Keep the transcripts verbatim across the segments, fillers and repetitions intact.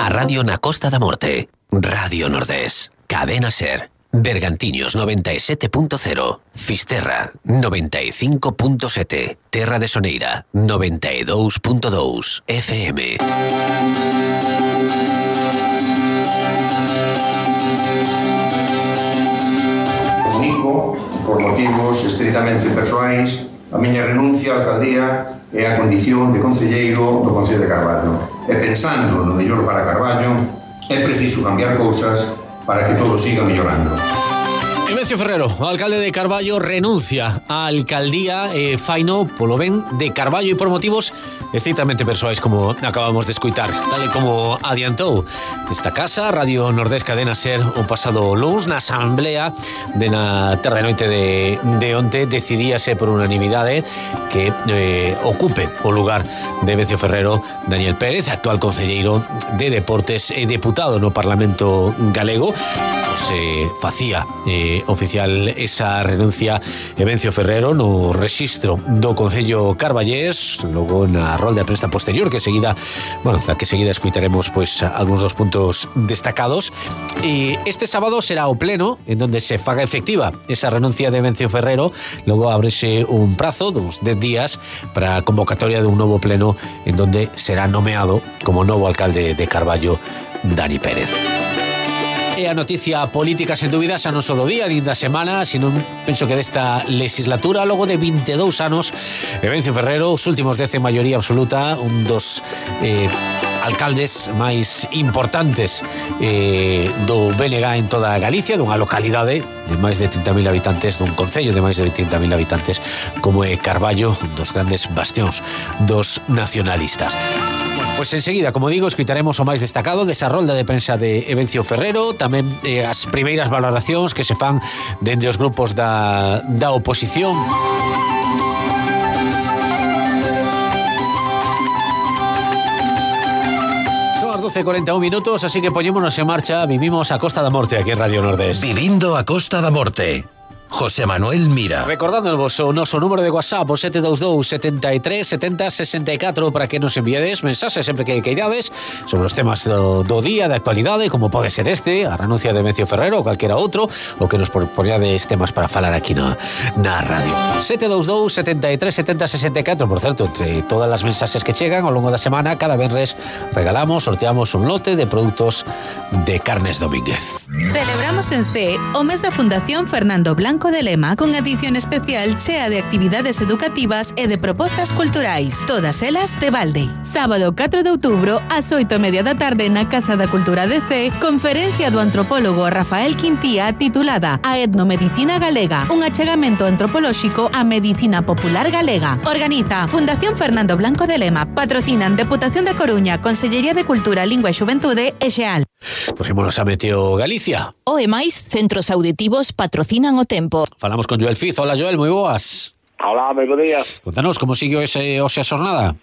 A radio na Costa da Morte. Radio Nordés. Cadena Ser. Bergantiños noventa e sete punto cero. Fisterra noventa e cinco punto sete. Terra de Soneira noventa e dous punto dous F M. Comunico, por motivos estritamente persoais, a miña renuncia á alcaldía e a condición de concelleiro do Concello de Carballo. E pensando no mellor para Carballo, é preciso cambiar cousas para que todo siga mellorando. Evencio Ferrero, o alcalde de Carballo, renuncia á alcaldía e faino polo ben de Carballo e por motivos estrictamente persoais, como acabamos de escuitar, tal e como adiantou esta casa, Radio Nordés Cadena Ser, o pasado luns na asamblea de na tarde noite de, de onte, decidíase por unanimidade que eh, ocupe o lugar de Evencio Ferrero Daniel Pérez, actual concelleiro de Deportes e deputado no Parlamento Galego. Se facía eh, oficial esa renuncia Evencio Ferrero no rexistro do Concello Carballés, logo na rolda de prensa posterior que seguida, bueno, da que seguida escuitaremos pois algúns dos puntos destacados. E este sábado será o pleno en donde se faga efectiva esa renuncia de Evencio Ferrero. Logo ábrese un prazo dos dez días para a convocatoria de un novo pleno en donde será nomeado como novo alcalde de Carballo Dani Pérez. E a noticia política, sen dúbida, xa non só do día, nin da semana, sino penso que desta legislatura, logo de vinte e dous anos, Evencio Ferrero, os últimos dez en maioría absoluta, un dos eh, alcaldes máis importantes eh, do B N G en toda Galicia, dunha localidade de máis de trinta mil habitantes, dun concello de máis de trinta mil habitantes, como é Carballo, un dos grandes bastións dos nacionalistas. Pois enseguida, como digo, escutaremos o máis destacado desa rolda de prensa de Evencio Ferrero, tamén eh, as primeiras valoracións que se fan dende os grupos da, da oposición. Son as doce e cuarenta e un minutos, así que poñémonos en marcha. Vivimos a Costa da Morte aquí en Radio Nordés. Vivindo a Costa da Morte. José Manuel Mira. Recordándonos o noso número de WhatsApp, o sete dous dous, setenta e tres, setenta, sesenta e catro, para que nos enviades mensaxes sempre que queirades sobre os temas do, do día, de actualidade, como pode ser este, a renuncia de Evencio Ferrero ou calquera outro, o que nos propoñades temas para falar aquí na, na radio. sete dous dous, setenta e tres, setenta, sesenta e catro. Por certo, entre todas as mensaxes que chegan ao longo da semana, cada venres regalamos, sorteamos un lote de produtos de Carnes Domínguez. Celebramos en C o mes da Fundación Fernando Blanco de Lema, con edición especial chea de actividades educativas e de propostas culturais, todas elas de balde. Sábado catro de outubro, ás oito e media da tarde, na Casa da Cultura de C, conferencia do antropólogo Rafael Quintía titulada A etnomedicina galega, un achegamento antropolóxico á medicina popular galega. Organiza Fundación Fernando Blanco de Lema, patrocinan Deputación da Coruña, Consellería de Cultura, Lingua e Xuventude e Xeal. Pusémonos a Meteo Galicia. O e máis centros auditivos patrocinan o tempo. Falamos con Joel Fiz. Hola, Joel, moi boas. Hola, moi bo día. Contanos como sigue ese, hoxe a xornada.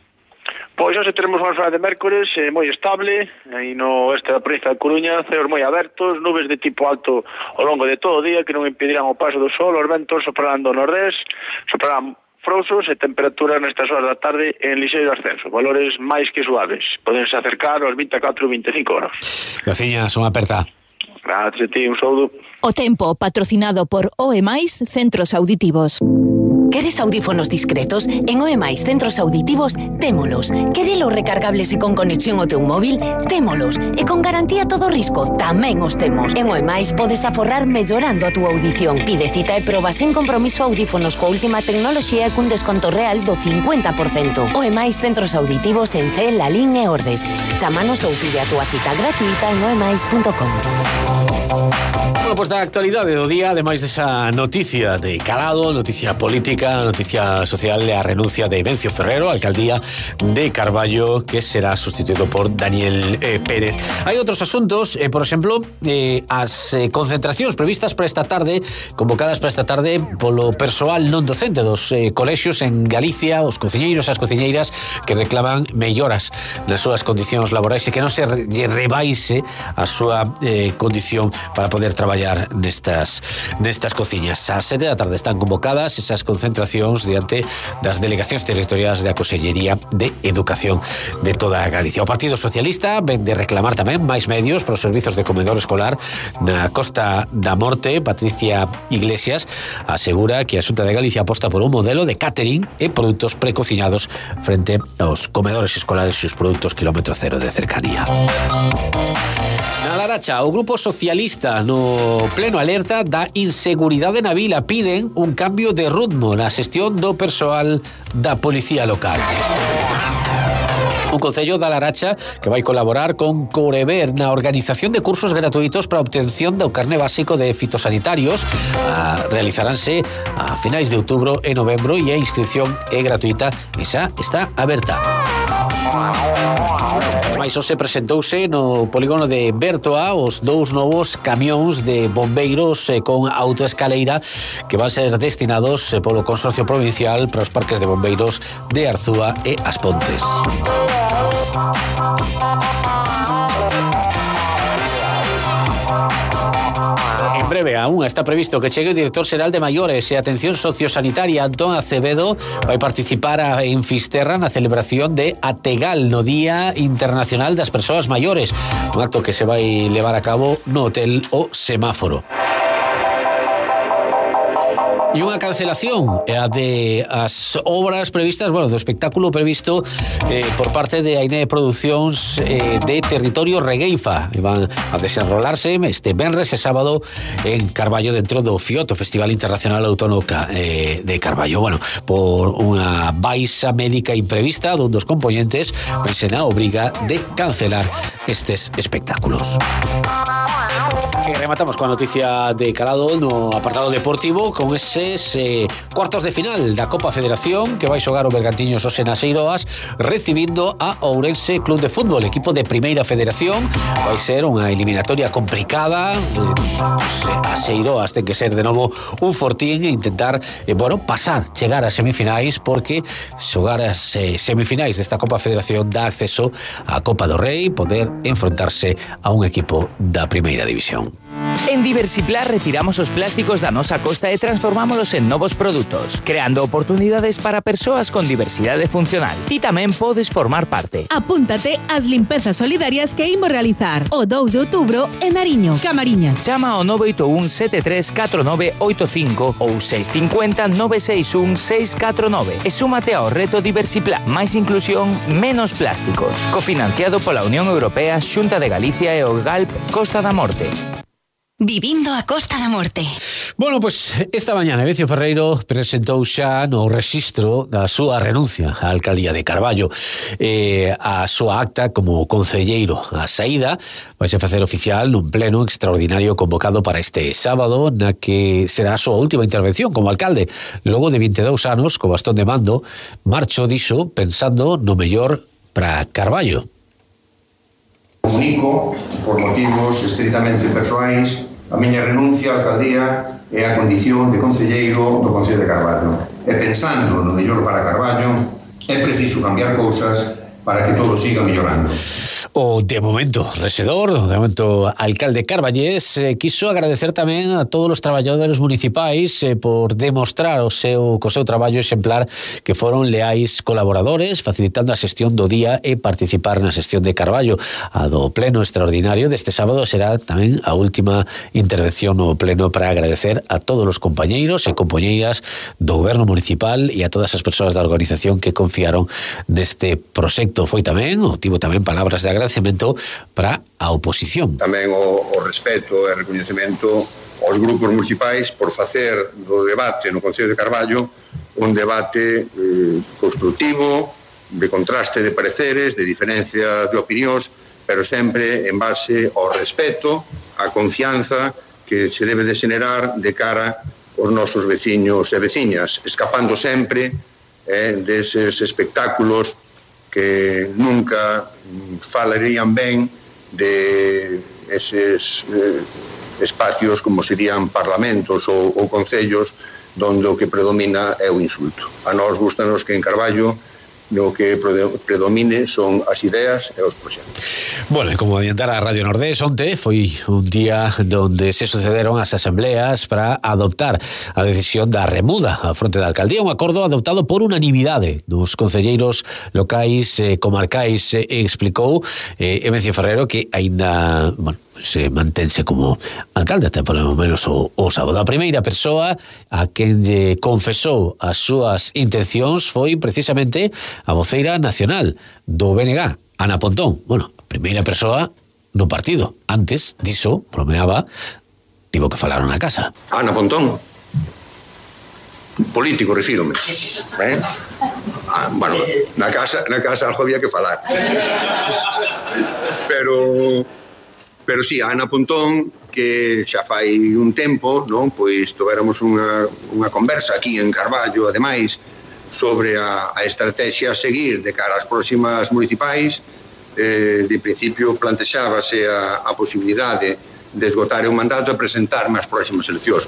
Pois hoxe teremos unha jornada de mércores eh, moi estable, aí no este da provincia de Coruña, ceos moi abertos, nubes de tipo alto ao longo de todo o día que non impedirán o paso do sol, os ventos soprarán do nordés, soprarán frouxos e temperaturas nestas horas da tarde en lixeiro ascenso, valores máis que suaves. Podense acercar aos vinte e catro, vinte e cinco graus. Graciñas, unha aperta. Gracias a ti, un saúdo. O tempo patrocinado por O E máis Centros Auditivos. Queres audífonos discretos? En O E máis Centros Auditivos témolos. Querelos recargables e con conexión ao teu móvil? Témolos. E con garantía todo risco? Tamén os temos. En O E máis podes aforrar mellorando a túa audición. Pide cita e proba sen compromiso audífonos coa última tecnoloxía e cun desconto real do cincuenta por cento. O E máis Centros Auditivos en C, Lalín e Ordes. Chámanos ou pide a túa cita gratuita en oemais punto com. Bueno, pois da actualidade do día, ademais desa noticia de calado, noticia política, noticia social, a renuncia de Evencio Ferrero, alcaldía de Carballo, que será sustituído por Daniel eh, Pérez. Hai outros asuntos, eh, por exemplo, eh, as eh, concentracións previstas para esta tarde, convocadas para esta tarde polo persoal non docente dos eh, colexios en Galicia, os cociñeiros e as cociñeiras que reclaman melloras nas súas condicións laborais e que non se lle rebaixe a súa eh, condición para poder traballar nestas nestas cociñas. Ás sete da tarde están convocadas esas concentracións concentracións diante das delegacións territoriais da Consellería de Educación de toda Galicia. O Partido Socialista ven de reclamar tamén máis medios para os servizos de comedor escolar na Costa da Morte. Patricia Iglesias asegura que a Xunta de Galicia aposta por un modelo de catering e produtos precociñados frente aos comedores escolares e os produtos kilómetro cero de cercanía. Na Laracha, o Grupo Socialista no pleno alerta da inseguridade na vila. Piden un cambio de ritmo na xestión do persoal da policía local. Un concello da Laracha que vai colaborar con Corever na organización de cursos gratuitos para a obtención do carné básico de fitosanitarios. Ah, realizaránse a finais de outubro e novembro e a inscripción é gratuita e xa está aberta. Mais hoxe presentouse no polígono de Bertoa os dous novos camións de bombeiros eh, con autoescaleira que van ser destinados eh, polo Consorcio Provincial para os parques de bombeiros de Arzúa e As Pontes. En breve aún está previsto que chegue o director xeral de Maiores e Atención Sociosanitaria Antón Acevedo. Vai participar en Fisterra na celebración de Ategal no Día Internacional das Persoas Maiores, un acto que se vai levar a cabo no Hotel O Semáforo. E unha cancelación a de as obras previstas, bueno, do espectáculo previsto eh, por parte de Aine Producións eh, de Territorio Regueifa. E van a desenrolarse este venres e sábado en Carballo dentro do FIOT, o Festival Internacional Autónomo eh, de Carballo. Bueno, por unha baixa médica imprevista dun dos componentes, pense na obriga de cancelar estes espectáculos. E rematamos coa noticia de calado no apartado deportivo con eses eh, cuartos de final da Copa Federación que vai xogar o Bergantiños hoxe nas Eiroas recibindo a Ourense Club de Fútbol, equipo de Primeira Federación. Vai ser unha eliminatoria complicada. eh, As Eiroas ten que ser de novo un fortín e intentar, eh, bueno, pasar, chegar ás semifinais, porque xogar as eh, semifinais desta Copa Federación dá acceso á Copa do Rei, poder enfrontarse a un equipo da Primeira División. En Diversiplar retiramos os plásticos da nosa costa e transformámolos en novos produtos, creando oportunidades para persoas con diversidade funcional. Ti tamén podes formar parte. Apúntate ás limpezas solidarias que imos realizar o dous de outubro en Nariño, Camariñas. Chama ao nove oito un sete tres catro nove oito cinco ou seis cinco cero nove seis un seis catro nove e súmate ao reto Diversiplar. Máis inclusión, menos plásticos. Cofinanciado pola Unión Europea, Xunta de Galicia e o Galp Costa da Morte. Vivindo a Costa da Morte. Bueno, pois pues, esta mañana Evencio Ferreiro presentou xa no rexistro da súa renuncia á alcaldía de Carballo. Eh, a súa acta como concelleiro a saída vai se facer oficial nun pleno extraordinario convocado para este sábado, na que será a súa última intervención como alcalde. Logo de vinte e dous anos, co bastón de mando, marcho diso pensando no mellor para Carballo. Comunico, por motivos estritamente persoais, a miña renuncia á alcaldía e a condición de concelleiro do Concello de Carballo. E pensando no mellor para Carballo, é preciso cambiar cousas para que todo siga mellorando. O de momento rexedor, o de momento alcalde carballés, eh, quiso agradecer tamén a todos os traballadores municipais eh, por demostrar o seu, co seu traballo exemplar que foron leais colaboradores, facilitando a xestión do día e participar na xestión de Carballo. A do pleno extraordinario deste sábado será tamén a última intervención no pleno para agradecer a todos os compañeiros e compañeiras do goberno municipal e a todas as persoas da organización que confiaron neste proxecto. Foi tamén, o tivo tamén palabras de agradecemento para a oposición. Tamén o, o respeto e recoñecemento aos grupos municipais por facer do debate no Concello de Carballo un debate eh, constructivo, de contraste de pareceres, de diferencia de opinións, pero sempre en base ao respeto, á confianza que se debe de xenerar de cara aos nosos veciños e veciñas, escapando sempre eh, deses espectáculos que nunca falarían ben de eses eh, espacios como serían parlamentos ou, ou concellos donde o que predomina é o insulto. A nós gustanos que en Carballo no que predomine son as ideas e os proxectos. Bueno, e como adiantara a Radio Nordés, onte foi un día donde se sucederon as asambleas para adoptar a decisión da remuda á fronte da alcaldía, un acordo adoptado por unanimidade dos concelleiros locais e eh, comarcais, eh, explicou eh, Evencio Ferrero que aínda, bueno, se mantense como alcalde até polo menos o, o sábado. A primeira persoa a quen lle confesou as súas intencións foi precisamente a voceira nacional do B N G, Ana Pontón. Bueno, a primeira persoa no partido. Antes diso, bromeaba, tivo que falar na casa. Ana Pontón, político, refírome. Eh? Ah, bueno, na casa, na casa algo había que falar. Pero... Pero sí, a Ana Pontón, que xa fai un tempo, non, pois tivéramos unha, unha conversa aquí en Carballo, ademais, sobre a, a estrategia a seguir de cara ás próximas municipais. Eh, de principio plantexábase a, a posibilidade de esgotar o mandato e presentarme ás próximas eleccións.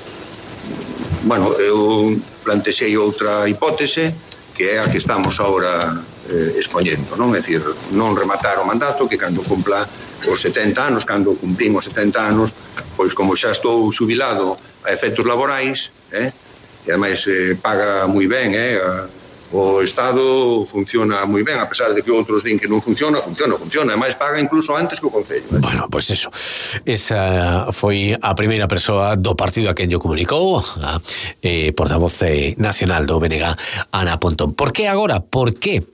Bueno, eu plantexei outra hipótese, que é a que estamos agora eh, expoñendo, non? É dicir, non rematar o mandato, que cando cumpla os setenta anos, cando cumprimos setenta anos, pois como xa estou xubilado a efectos laborais, eh, e ademais eh, paga moi ben, eh, o Estado funciona moi ben, a pesar de que outros din que non funciona, funciona, funciona, ademais paga incluso antes que o Concello. Eh. Bueno, pois pues eso, esa foi a primeira persoa do partido a quen yo comunicou, a eh, portavoz nacional do B N G, Ana Pontón. Por que agora? Por que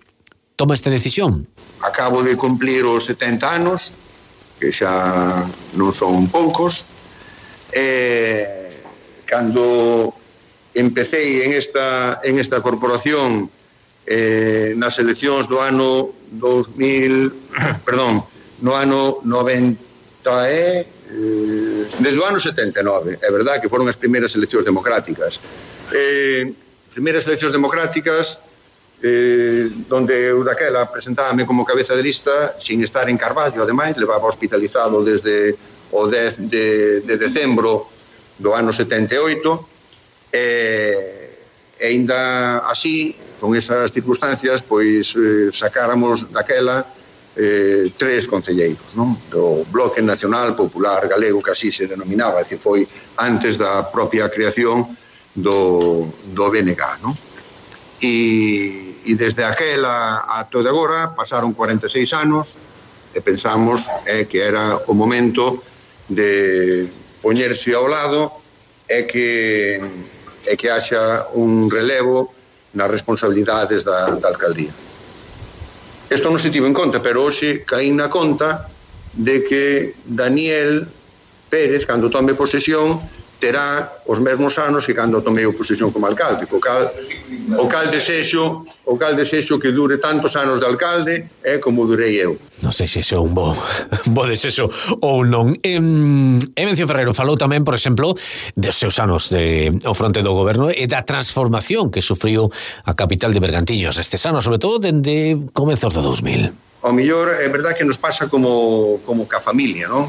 toma esta decisión? Acabo de cumplir os setenta anos, que xa non son poucos, e cando empecé en esta, en esta corporación eh, nas eleccións do ano dos mil, perdón, no ano noventa e, eh, desde o ano setenta e nove, é verdad que foron as primeiras eleccións democráticas. Eh, primeiras eleccións democráticas Eh, donde eu daquela presentábame como cabeza de lista sin estar en Carballo, ademais levaba hospitalizado desde o dez de, de decembro do ano setenta e oito, e, e ainda así, con esas circunstancias, pois eh, sacáramos daquela eh, tres concelleiros, non? Do Bloque Nacional Popular Galego, que así se denominaba, é dicir, foi antes da propia creación do, do B N G, non? E e desde aquela a todo agora pasaron cuarenta e seis anos e pensamos eh, que era o momento de poñerse ao lado e que, e que haxa un relevo nas responsabilidades da, da alcaldía. Isto non se tivo en conta, pero hoxe caí na conta de que Daniel Pérez, cando tome posesión, terá os mesmos anos que cando tomei a posesión como alcalde, o cal, o cal desexo o cal desexo que dure tantos anos de alcalde é como durei eu. Non sei se iso é un bo, bo desexo ou non. Evencio Ferrero falou tamén, por exemplo, dos seus anos de, ao fronte do goberno e da transformación que sufriu a capital de Bergantiños estes anos, sobre todo dende comezos do dos mil. Ao mellor é verdad que nos pasa como, como ca familia, non?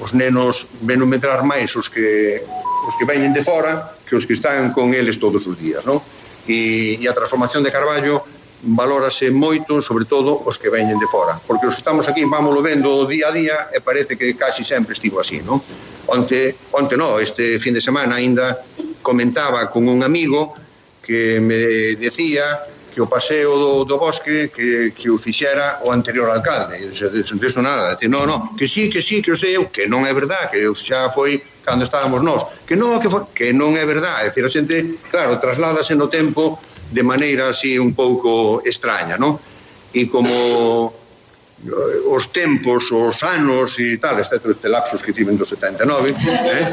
Os nenos ven non medrar máis os que os que veñen de fora que os que están con eles todos os días, non? E, e a transformación de Carballo valórase moito, sobre todo os que veñen de fora, porque os que estamos aquí vámoslo vendo día a día e parece que casi sempre estivo así, non? Onte, onte no, este fin de semana ainda comentaba con un amigo que me decía que o paseo do, do bosque que, que o fixera o anterior alcalde. E diso nada, no, no, que sí, que sí, que o sei eu, que non é verdad, que xa foi cando estábamos nós, que non, que, foi, que non é verdad. É dicir, a xente, claro, trasládase no tempo de maneira así un pouco extraña, non? E como os tempos, os anos e tal, excepto este lapsus que tiven do setenta e nove, eh?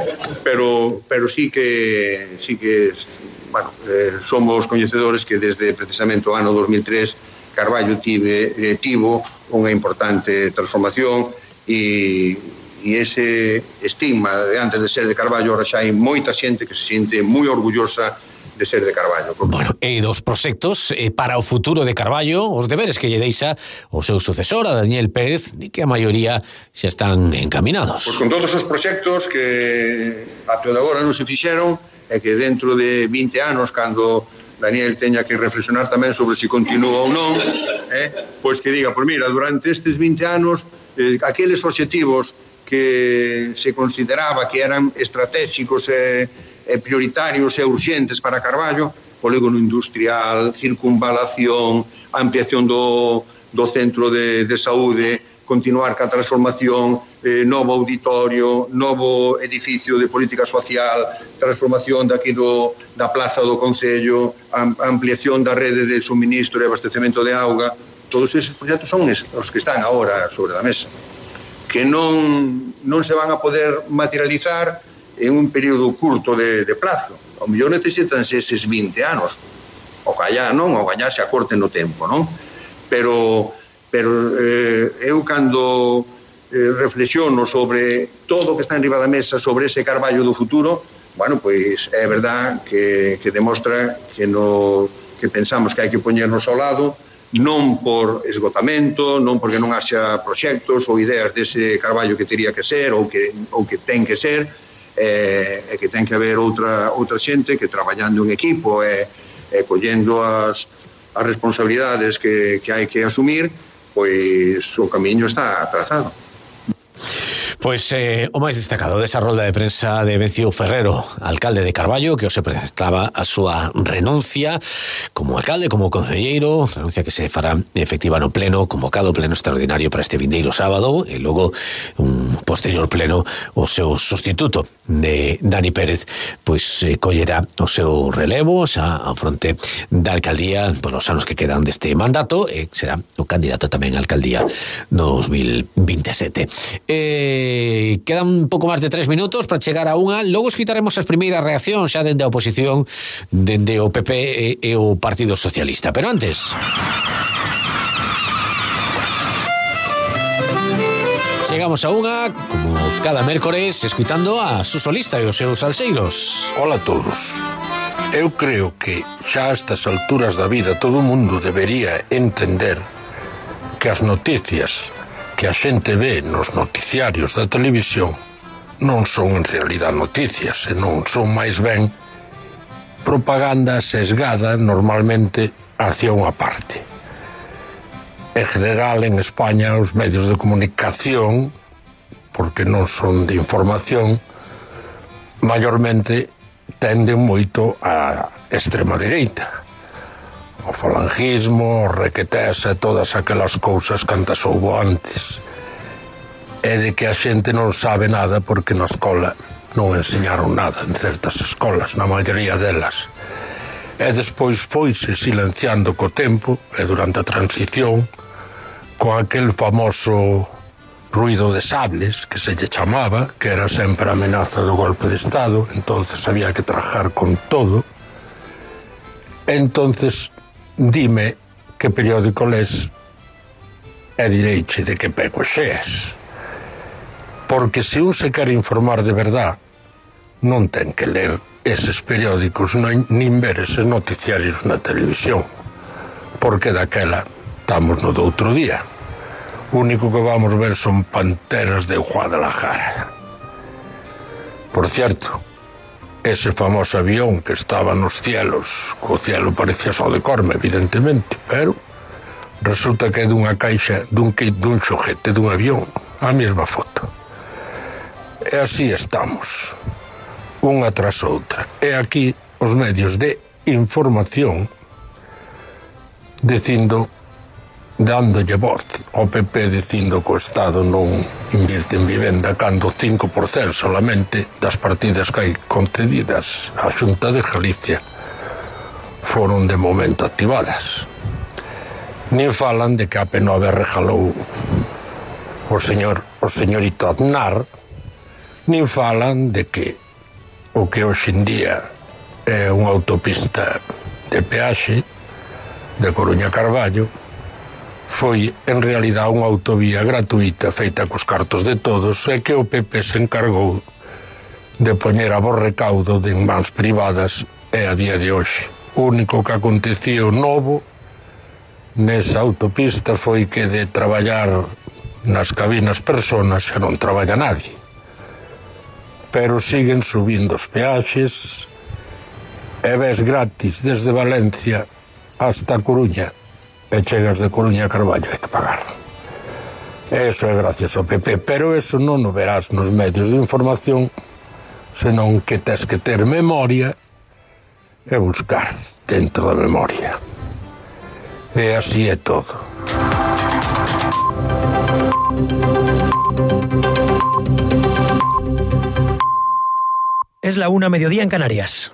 pero, pero sí que sí que bueno, eh, somos coñecedores que desde precisamente o ano dos mil tres Carballo tive, eh, tivo unha importante transformación e, e ese estigma de antes de ser de Carballo ahora xa hai moita xente que se siente moi orgullosa de ser de Carballo. Bueno, e dos proxectos eh, para o futuro de Carballo, os deberes que lle deixa o seu sucesor, a Daniel Pérez, de que a maioría xa están encaminados. Pois con todos os proxectos que até agora non se fixeron, é que dentro de vinte anos, cando Daniel teña que reflexionar tamén sobre se continúa ou non, eh? Pois que diga, pois mira, durante estes vinte anos, eh, aqueles obxectivos que se consideraba que eran estratégicos e, e prioritarios e urxentes para Carballo, polígono industrial, circunvalación, ampliación do, do centro de, de saúde, continuar ca transformación, eh, novo auditorio, novo edificio de política social, transformación daqui do, da plaza do Concello, am, ampliación da rede de suministro e abastecemento de auga. Todos eses proxectos son os que están agora sobre a mesa, que non, non se van a poder materializar en un período curto de, de plazo. O mellor necesitanse eses vinte anos, o callá non, o callá se acorten no tempo, non? Pero... pero eh, eu cando eh, reflexiono sobre todo o que está en riba da mesa sobre ese Carballo do futuro, bueno, pois é verdad que, que demostra que, no, que pensamos que hai que poñernos ao lado, non por esgotamento, non porque non haxa proxectos ou ideas dese Carballo que teria que ser ou que, ou que ten que ser, e eh, que ten que haber outra, outra xente que traballando en equipo e eh, eh, collendo as, as responsabilidades que, que hai que asumir, pois o camiño está trazado. Pois eh, o máis destacado desa rolda de prensa de Vencio Ferrero, alcalde de Carballo, que hoxe presentaba a súa renuncia como alcalde, como concelleiro, renuncia que se fará efectiva no pleno, convocado pleno extraordinario para este vindeiro sábado, e logo un posterior pleno o seu sustituto de Dani Pérez, pois eh, collerá o seu relevo xa a fronte da alcaldía polos anos que quedan deste mandato, e será o candidato tamén á alcaldía no dos mil veintisiete. Eh, quedan un pouco máis de tres minutos para chegar a unha, logo escutaremos as primeiras reaccións xa dende a oposición, dende o P P e, e o Partido Socialista, pero antes chegamos a unha, como cada mércores, escuitando a Suso Lista e os seus salseiros. Hola a todos. Eu creo que xa a estas alturas da vida todo o mundo debería entender que as noticias que a xente ve nos noticiarios da televisión non son en realidad noticias, senón son máis ben propaganda sesgada normalmente hacia unha parte. En general, en España, os medios de comunicación, porque non son de información, maiormente tenden moito a extrema dereita. O falangismo, o requetés e todas aquelas cousas cantas houbo antes. É de que a xente non sabe nada porque na escola non enseñaron nada en certas escolas, na maioría delas. E despois foise silenciando co tempo e durante a transición con aquel famoso ruido de sables que se lle chamaba, que era sempre a amenaza do golpe de Estado, entonces había que trajar con todo. Entonces dime que periódico les e direiche de que peco xeas. Porque se un se quere informar de verdad, non ten que ler eses periódicos nin ver eses noticiarios na televisión, porque daquela estamos no do outro día. O único que vamos ver son panteras de Guadalajara. Por cierto, ese famoso avión que estaba nos cielos, co cielo parecía só de Corme, evidentemente, pero resulta que é dunha caixa dun kit dun xoguete dun avión, a mesma foto. E así estamos, unha tras outra. E aquí os medios de información dicindo, dándolle voz ao P P dicindo que o Estado non invirte en vivenda cando o cinco por cento solamente das partidas que hai concedidas á Xunta de Galicia foron de momento activadas. Nin falan de que a P nove regalou o señor o señorito Aznar, nin falan de que o que hoxe en día é unha autopista de peaxe de Coruña a Carballo foi en realidad unha autovía gratuita feita cos cartos de todos e que o P P se encargou de poñer a bo recaudo de en mans privadas e a día de hoxe. O único que acontecía novo nesa autopista foi que de traballar nas cabinas personas xa non traballa nadie. Pero siguen subindo os peaxes e ves gratis desde Valencia hasta Coruña e chegas de Coruña a Carballo, hai que pagar. Eso é gracias ao P P, pero eso non o verás nos medios de información, senón que tes que ter memoria e buscar dentro da memoria. E así é todo. Es la una, mediodía en Canarias.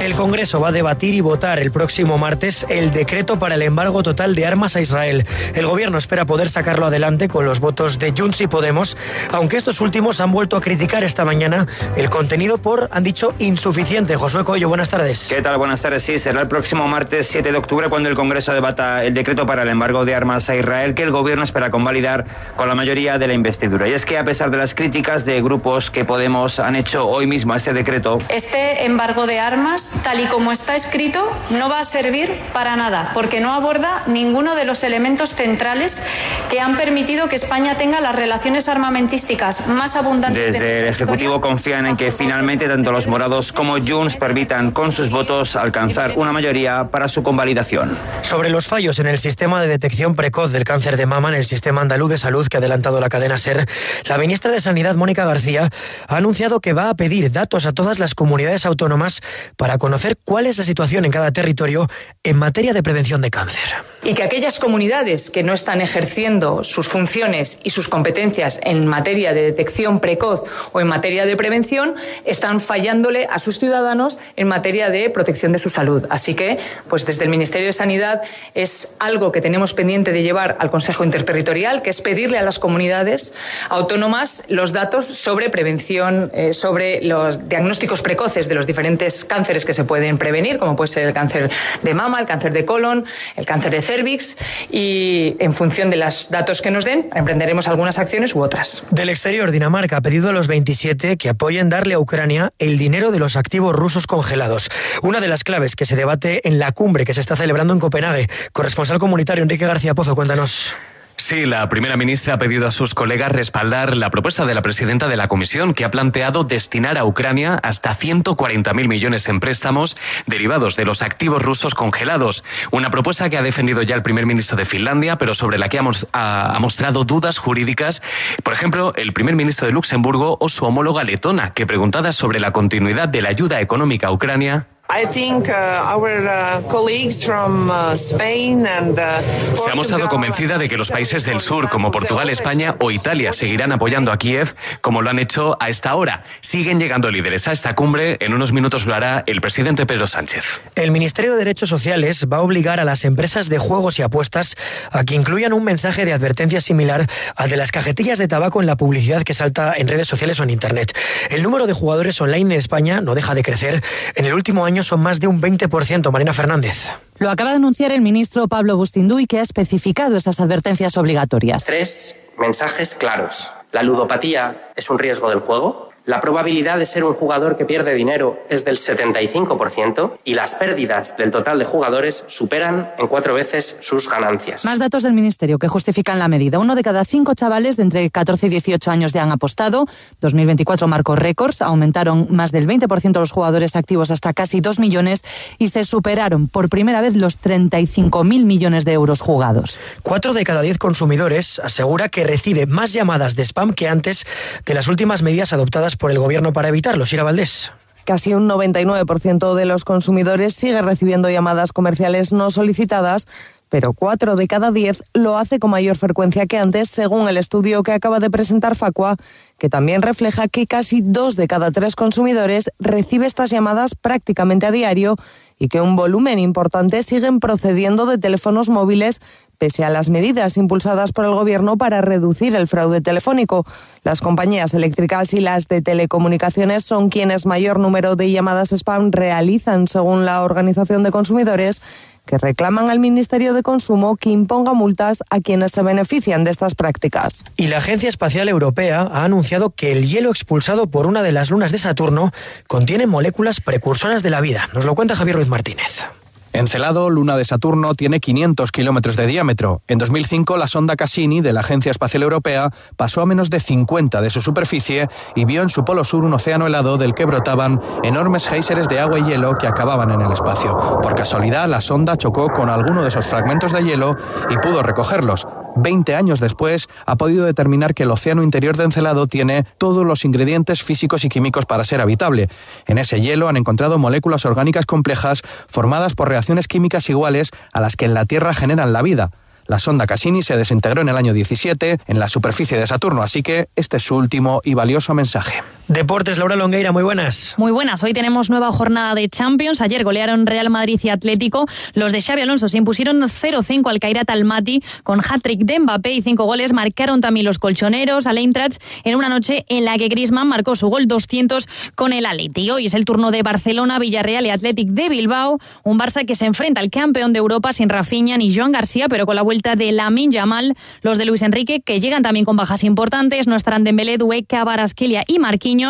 El Congreso va a debatir y votar el próximo martes el decreto para el embargo total de armas a Israel. El gobierno espera poder sacarlo adelante con los votos de Junts y Podemos, aunque estos últimos han vuelto a criticar esta mañana el contenido por, han dicho, insuficiente. Josué Coello, buenas tardes. ¿Qué tal? Buenas tardes. Sí, será el próximo martes siete de octubre cuando el Congreso debata el decreto para el embargo de armas a Israel, que el gobierno espera convalidar con la mayoría de la investidura. Y es que a pesar de las críticas de grupos que Podemos han hecho hoy mismo a este decreto, este embargo de armas, tal y como está escrito, no va a servir para nada, porque no aborda ninguno de los elementos centrales que han permitido que España tenga las relaciones armamentísticas más abundantes. Desde el Ejecutivo confían en que finalmente tanto los morados como Junts permitan con sus votos alcanzar una mayoría para su convalidación. Sobre los fallos en el sistema de detección precoz del cáncer de mama en el Sistema Andaluz de Salud que ha adelantado la cadena SER, la ministra de Sanidad, Mónica García, ha anunciado que va a pedir datos a todas las comunidades autónomas para conocer cuál es la situación en cada territorio en materia de prevención de cáncer. Y que aquellas comunidades que no están ejerciendo sus funciones y sus competencias en materia de detección precoz o en materia de prevención están fallándole a sus ciudadanos en materia de protección de su salud. Así que, pues desde el Ministerio de Sanidad es algo que tenemos pendiente de llevar al Consejo Interterritorial, que es pedirle a las comunidades autónomas los datos sobre prevención, eh, sobre los diagnósticos precoces de los diferentes cánceres que se pueden prevenir, como puede ser el cáncer de mama, el cáncer de colon, el cáncer de cervix, y en función de los datos que nos den, emprenderemos algunas acciones u otras. Del exterior, Dinamarca ha pedido a los veintisiete que apoyen darle a Ucrania el dinero de los activos rusos congelados. Una de las claves que se debate en la cumbre que se está celebrando en Copenhague. Corresponsal comunitario Enrique García Pozo, cuéntanos. Sí, la primera ministra ha pedido a sus colegas respaldar la propuesta de la presidenta de la Comisión, que ha planteado destinar a Ucrania hasta ciento cuarenta mil millones en préstamos derivados de los activos rusos congelados. Una propuesta que ha defendido ya el primer ministro de Finlandia, pero sobre la que ha, ha, ha mostrado dudas jurídicas. Por ejemplo, el primer ministro de Luxemburgo o su homóloga letona, que preguntada sobre la continuidad de la ayuda económica a Ucrania, I think uh, our uh, colleagues from uh, Spain and uh, se ha mostrado convencida de que los países del sur, como Portugal, España o Italia, seguirán apoyando a Kiev como lo han hecho a esta hora. Siguen llegando líderes a esta cumbre. En unos minutos lo hará el presidente Pedro Sánchez. El Ministerio de Derechos Sociales va a obligar a las empresas de juegos y apuestas a que incluyan un mensaje de advertencia similar al de las cajetillas de tabaco en la publicidad que salta en redes sociales o en Internet. El número de jugadores online en España no deja de crecer. En el último año son más de un veinte por ciento. Marina Fernández. Lo acaba de anunciar el ministro Pablo Bustinduy, que ha especificado esas advertencias obligatorias. Tres mensajes claros. La ludopatía es un riesgo del juego. La probabilidad de ser un jugador que pierde dinero es del setenta y cinco por ciento y las pérdidas del total de jugadores superan en cuatro veces sus ganancias. Más datos del Ministerio que justifican la medida. Uno de cada cinco chavales de entre catorce y dieciocho años ya han apostado. dos mil veinticuatro marcó récords. Aumentaron más del veinte por ciento los jugadores activos hasta casi dos millones y se superaron por primera vez los treinta y cinco mil millones de euros jugados. Cuatro de cada diez consumidores asegura que recibe más llamadas de spam que antes de las últimas medidas adoptadas por el gobierno para evitarlo. Sira Valdés. Casi un noventa y nueve por ciento de los consumidores sigue recibiendo llamadas comerciales no solicitadas, pero cuatro de cada diez lo hace con mayor frecuencia que antes, según el estudio que acaba de presentar Facua, que también refleja que casi dos de cada tres consumidores recibe estas llamadas prácticamente a diario y que un volumen importante siguen procediendo de teléfonos móviles pese a las medidas impulsadas por el Gobierno para reducir el fraude telefónico. Las compañías eléctricas y las de telecomunicaciones son quienes mayor número de llamadas spam realizan, según la Organización de Consumidores, que reclaman al Ministerio de Consumo que imponga multas a quienes se benefician de estas prácticas. Y la Agencia Espacial Europea ha anunciado que el hielo expulsado por una de las lunas de Saturno contiene moléculas precursoras de la vida. Nos lo cuenta Javier Ruiz Martínez. Encelado, luna de Saturno, tiene quinientos kilómetros de diámetro. En dos mil cinco, la sonda Cassini de la Agencia Espacial Europea pasó a menos de cincuenta de su superficie y vio en su polo sur un océano helado del que brotaban enormes géiseres de agua y hielo que acababan en el espacio. Por casualidad, la sonda chocó con alguno de esos fragmentos de hielo y pudo recogerlos. Veinte años después, ha podido determinar que el océano interior de Encelado tiene todos los ingredientes físicos y químicos para ser habitable. En ese hielo han encontrado moléculas orgánicas complejas formadas por reacciones químicas iguales a las que en la Tierra generan la vida. La sonda Cassini se desintegró en el año diecisiete en la superficie de Saturno, así que este es su último y valioso mensaje. Deportes, Laura Longueira, muy buenas. Muy buenas, hoy tenemos nueva jornada de Champions. Ayer golearon Real Madrid y Atlético. Los de Xabi Alonso se impusieron cero cinco al Kairat Almaty con hat-trick de Mbappé y cinco goles. Marcaron también los colchoneros al Eintracht en una noche en la que Griezmann marcó su gol doscientos con el Atleti. Hoy es el turno de Barcelona, Villarreal y Athletic de Bilbao. Un Barça que se enfrenta al campeón de Europa sin Rafinha ni Joan García, pero con la vuelta de Lamine Yamal. Los de Luis Enrique, que llegan también con bajas importantes, no estarán Dembélé, Doué, Kvaratskhelia y Marquinhos.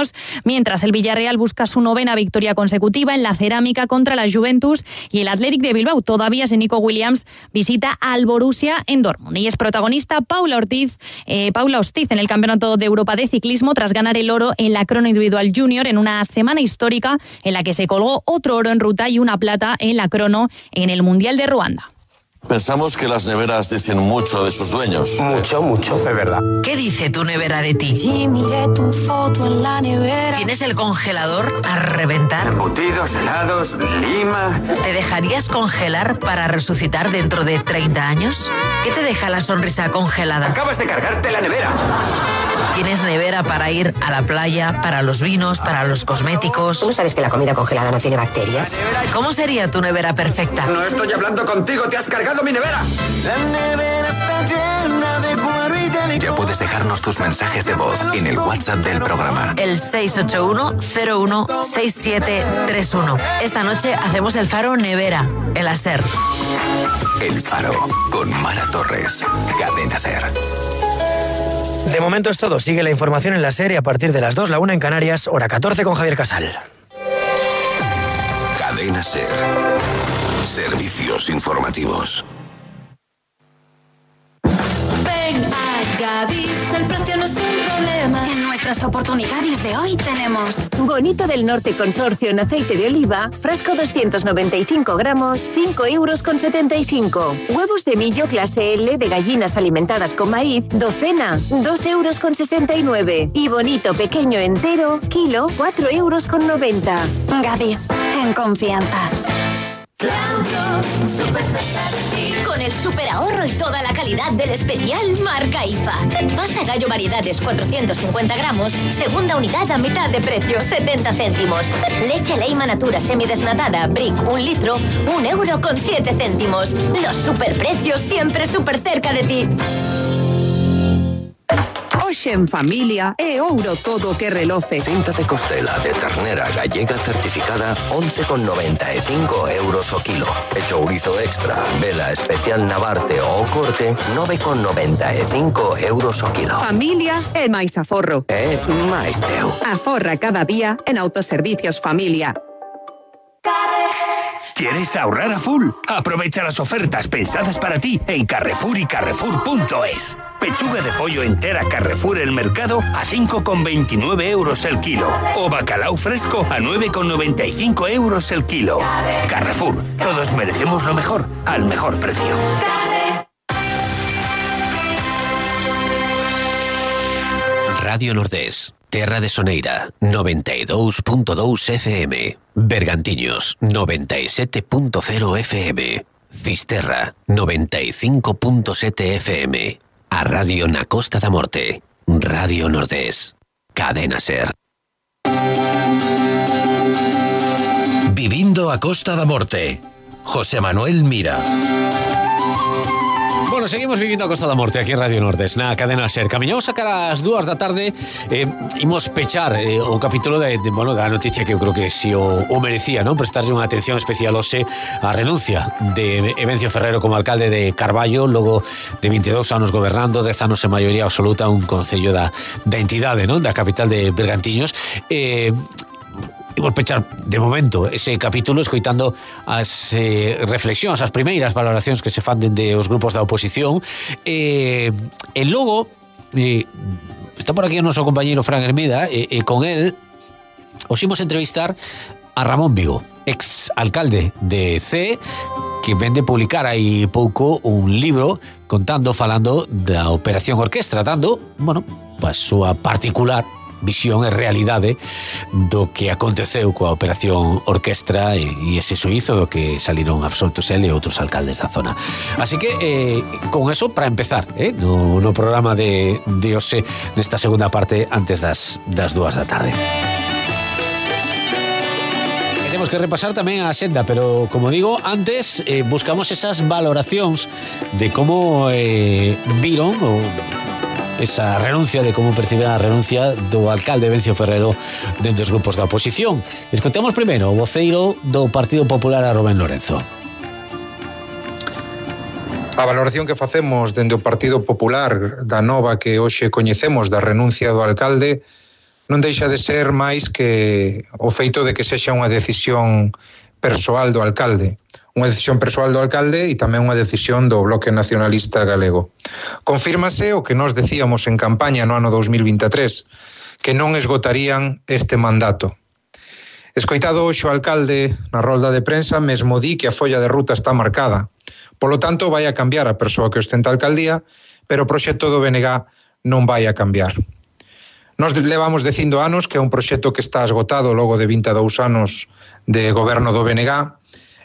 Mientras el Villarreal busca su novena victoria consecutiva en la cerámica contra la Juventus, y el Athletic de Bilbao, todavía sin Nico Williams, visita al Borussia en Dortmund. Y es protagonista Paula Ortiz, eh, Paula Ostiz en el Campeonato de Europa de Ciclismo tras ganar el oro en la crono individual junior en una semana histórica en la que se colgó otro oro en ruta y una plata en la crono en el Mundial de Ruanda. Pensamos que las neveras dicen mucho de sus dueños. Mucho, mucho, de verdad. ¿Qué dice tu nevera de ti? Y miré tu foto en la nevera. ¿Tienes el congelador a reventar? Embutidos, helados, lima. ¿Te dejarías congelar para resucitar dentro de treinta años? ¿Qué te deja la sonrisa congelada? Acabas de cargarte la nevera. ¿Tienes nevera para ir a la playa, para los vinos, para los cosméticos? ¿Tú no sabes que la comida congelada no tiene bacterias? ¿Cómo sería tu nevera perfecta? No estoy hablando contigo, te has cargado mi nevera. La nevera está llena de cuero y de licor. Ya puedes dejarnos tus mensajes de voz en el WhatsApp del programa. El seis ocho uno cero uno seis siete tres uno. Esta noche hacemos el Faro Nevera, el Aser. El Faro, con Mara Torres. Cadena Ser. De momento es todo. Sigue la información en la serie a partir de las dos, la una en Canarias, hora catorce con Javier Casal. Cadena Ser. Servicios informativos. Ven a Gadis, el precio no es un problema. En nuestras oportunidades de hoy tenemos Bonito del Norte Consorcio en aceite de oliva, frasco doscientos noventa y cinco gramos, cinco euros con setenta y cinco. Huevos de millo clase L de gallinas alimentadas con maíz, docena, dos euros con sesenta y nueve. Y bonito pequeño entero, kilo, cuatro euros con noventa. Gadis, en confianza. Claudio, súper cerca de ti. Con el super ahorro y toda la calidad del especial marca I F A. Pasta gallo variedades cuatrocientos cincuenta gramos, segunda unidad a mitad de precio, setenta céntimos. Leche Leima Natura semidesnatada, Brick, un litro, un euro con siete céntimos. Los superprecios siempre súper cerca de ti. Hoxe en familia é ouro todo que reloce. Cinta de costela de ternera gallega certificada once con noventa e cinco euros o kilo. E chourizo extra, vela especial Navarte o corte nove con noventa e cinco euros o kilo. Familia é máis aforro. É máis teu. Aforra cada día en Autoservicios Familia. ¿Quieres ahorrar a full? Aprovecha las ofertas pensadas para ti en Carrefour y Carrefour punto es. Pechuga de pollo entera Carrefour El Mercado a cinco con veintinueve euros el kilo. O bacalao fresco a nueve con noventa y cinco euros el kilo. Carrefour, todos merecemos lo mejor, al mejor precio. Radio Nordés, Terra de Soneira, noventa e dous punto dous F M. Bergantiños, noventa e sete punto cero F M. Fisterra, noventa e cinco punto sete F M. A Radio na Costa da Morte. Radio Nordés. Cadena Ser. Vivindo a Costa da Morte. José Manuel Mira. Bueno, seguimos vivindo a Costa da Morte aquí en Radio Nordés, na Cadena Ser. Camiñamos a cara as dúas da tarde, eh, imos pechar eh, o capítulo de, de, bueno, da noticia que eu creo que si o, o merecía, non? Prestarlle unha atención especial hoxe a renuncia de Evencio Ferrero como alcalde de Carballo, logo de veintidós anos gobernando, dez anos en maioría absoluta, un concello da, da entidade, non? Da capital de Bergantiños. Eh, imos pechar de momento ese capítulo escoitando as eh, reflexións, as primeiras valoracións que se fan dende os grupos da oposición. Eh, e logo eh, está por aquí o noso compañeiro Fran Hermida e, e con él os imos entrevistar a Ramón Vigo, ex alcalde de C, que vende publicar aí pouco un libro contando, falando da Operación Orquestra, dando, bueno, a súa particular visión e realidade do que aconteceu coa Operación Orquestra e, e ese suízo do que saliron absoltos ele e outros alcaldes da zona. Así que, eh, con eso, para empezar, eh, no, no programa de, de hoxe, nesta segunda parte, antes das, das dúas da tarde. Temos que repasar tamén a senda, pero, como digo, antes eh, buscamos esas valoracións de como eh, viron o esa renuncia, de como perciben a renuncia do alcalde Vencio Ferrero dentro dos grupos da oposición. Escoitamos primeiro o voceiro do Partido Popular, a Rubén Lorenzo. A valoración que facemos dende o Partido Popular da nova que hoxe coñecemos da renuncia do alcalde non deixa de ser máis que o feito de que sexa unha decisión persoal do alcalde. Unha decisión persoal do alcalde e tamén unha decisión do Bloque Nacionalista Galego. Confírmase o que nós decíamos en campaña no ano dos mil vinte e tres, que non esgotarían este mandato. Escoitado hoxe o alcalde na rolda de prensa, mesmo di que a folla de ruta está marcada. Polo tanto, vai a cambiar a persoa que ostenta a alcaldía, pero o proxecto do B N G non vai a cambiar. Nos levamos dicindo anos que é un proxecto que está esgotado logo de vinte e dous anos de goberno do B N G,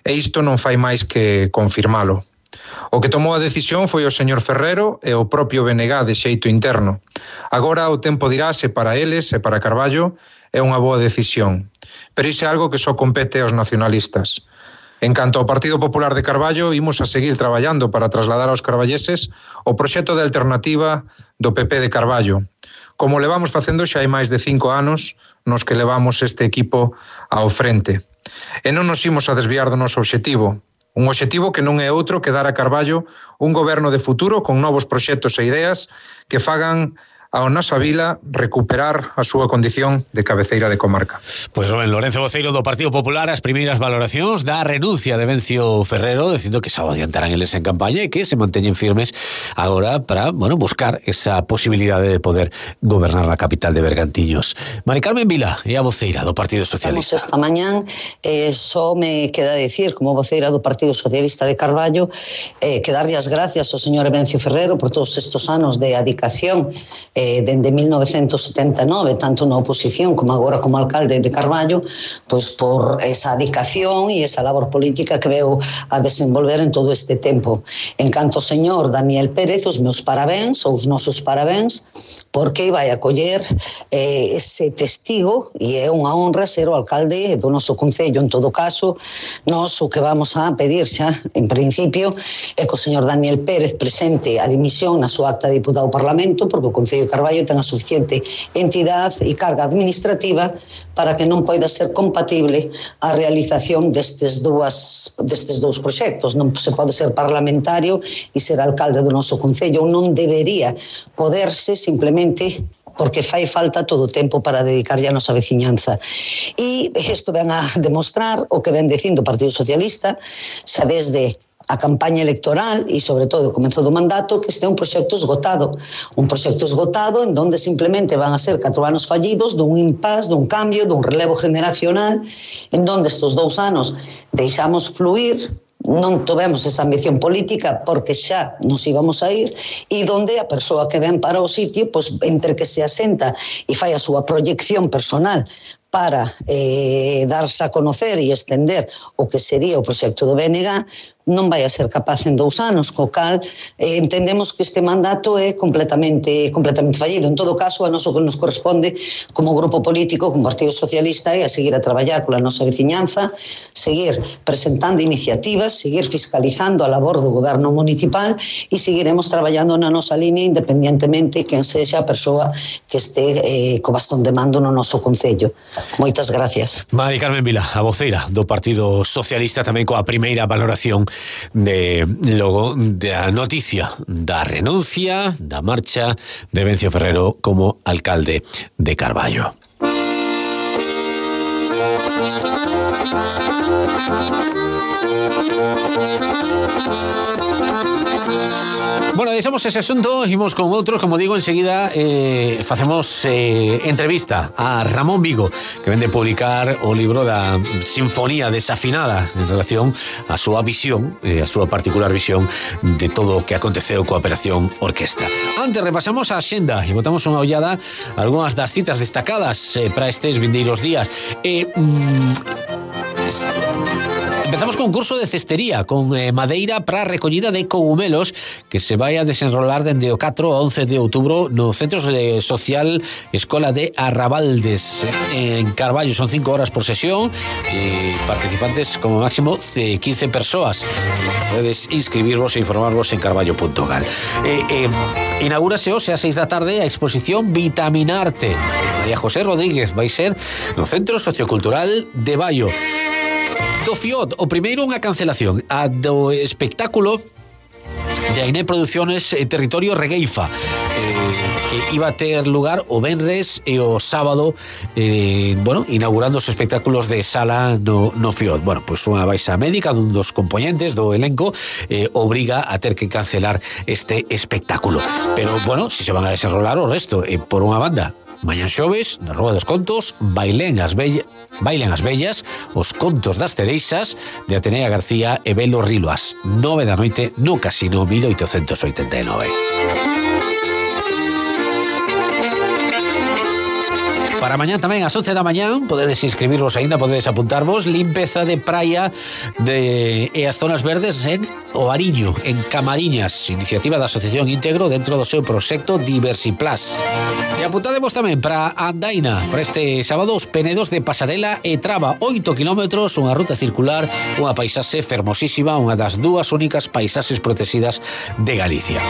e isto non fai máis que confirmalo. O que tomou a decisión foi o señor Ferrero e o propio B N G de xeito interno. Agora o tempo dirá se para eles e para Carballo é unha boa decisión. Pero iso é algo que só compete aos nacionalistas. En canto ao Partido Popular de Carballo, imos a seguir traballando para trasladar aos carballeses o proxecto de alternativa do P P de Carballo, como levamos facendo xa hai máis de cinco anos nos que levamos este equipo ao frente. E non nos imos a desviar do noso obxectivo. Un obxectivo que non é outro que dar a Carballo un goberno de futuro con novos proxectos e ideas que fagan ao nosa vila recuperar a súa condición de cabeceira de comarca. Pois Rubén Lorenzo, voceiro do Partido Popular, as primeiras valoracións da renuncia de Vencio Ferrero, dicindo que xa o adiantarán eles en campaña e que se manteñen firmes agora para, bueno, buscar esa posibilidade de poder gobernar na capital de Bergantiños. Mari Carmen Vila é a voceira do Partido Socialista. Estamos esta mañán, eh, só me queda decir, como voceira do Partido Socialista de Carballo, eh, que darlle as gracias ao señor Vencio Ferrero por todos estes anos de adicación eh, dende mil novecentos setenta e nove, tanto na oposición como agora como alcalde de Carballo, pois por esa dedicación e esa labor política que veu a desenvolver en todo este tempo. En canto ao señor Daniel Pérez, os meus parabéns, ou os nosos parabéns, porque vai a coller eh, ese testigo e é unha honra ser o alcalde do noso concello. En todo caso, nós o que vamos a pedir xa, en principio, é que o señor Daniel Pérez presente a dimisión na súa acta de diputado ao Parlamento, porque o Concello de Carballo ten a suficiente entidade e carga administrativa para que non poida ser compatible a realización destes dúas, destes dous proxectos. Non se pode ser parlamentario e ser alcalde do noso concello. Non debería poderse simplemente porque fai falta todo o tempo para dedicarlle a nosa veciñanza. E isto ven a demostrar o que ven dicindo o Partido Socialista xa desde a campaña electoral e, sobre todo, o comezo do mandato, que este é un proxecto esgotado. Un proxecto esgotado en donde simplemente van a ser catro anos fallidos dun impás, dun cambio, dun relevo generacional, en donde estes dous anos deixamos fluir, non tovemos esa ambición política porque xa nos íbamos a ir, e donde a persoa que ven para o sitio, pois, entre que se asenta e fai a súa proyección personal para eh, darse a conocer e estender o que sería o proxecto do B N G, non vai a ser capaz en dous anos, co cal eh, entendemos que este mandato é completamente completamente fallido. En todo caso, a noso que nos corresponde como grupo político, como Partido Socialista, é a seguir a traballar pola nosa veciñanza, seguir presentando iniciativas, seguir fiscalizando a labor do goberno municipal e seguiremos traballando na nosa línea independientemente quen sexa a persoa que este eh, co bastón de mando no noso concello. Moitas gracias. Mari Carmen Vila, a voceira do Partido Socialista, tamén coa primeira valoración de logo da noticia da renuncia, da marcha de Vencio Ferrero como alcalde de Carballo. Bueno, deixamos ese asunto, imos con outros, como digo, enseguida eh, facemos eh, entrevista a Ramón Vigo, que vende publicar o libro da Sinfonía Desafinada en relación á súa visión, eh, a súa particular visión de todo o que aconteceu coa Operación Orquestra. Antes repasamos a xenda e botamos unha ollada a algunhas das citas destacadas eh, para estes vindeiros días. Eh, mm, Empezamos con un curso de cestería con eh, madeira para recollida de cogumelos que se vai a desenrolar dende o catro ao once de outubro no Centro Social Escola de Arrabaldes en Carballo. Son cinco horas por sesión e participantes como máximo de quince persoas. Podedes inscribirvos e informarvos en carballo punto gal. Eh, eh, inaugúrase hoxe a seis da tarde a exposición Vitaminarte. María José Rodríguez vai ser no Centro Sociocultural de Baio. Do Fiot, o primeiro unha cancelación, a do espectáculo de Ainé Producciones eh, Territorio Regueifa, eh, que iba a ter lugar o venres e o sábado, eh, bueno, inaugurando os espectáculos de sala no, no Fiot. Bueno, pois pues unha baixa médica dun dos componentes do elenco eh, obriga a ter que cancelar este espectáculo. Pero, bueno, si se van a desenrolar o resto, eh, por unha banda, mañan xoves, na Rúa dos Contos, bailen as, bella, bailen as bellas, os contos das cereixas de Atenea García e Belo Rilo, ás nove da noite no Casino mil oitocentos oitenta e nove. Para mañán tamén ás once da mañán podedes inscribirvos aínda, podedes apuntarvos, limpeza de praia de, e as zonas verdes en O Ariño, en Camariñas, iniciativa da Asociación Íntegro dentro do seu proxecto Diversiplas. E apuntademos tamén para Andaina, para este sábado, os Penedos de Pasarela e Traba, oito kilómetros, unha ruta circular, unha paisaxe fermosísima, unha das dúas únicas paisaxes protegidas de Galicia.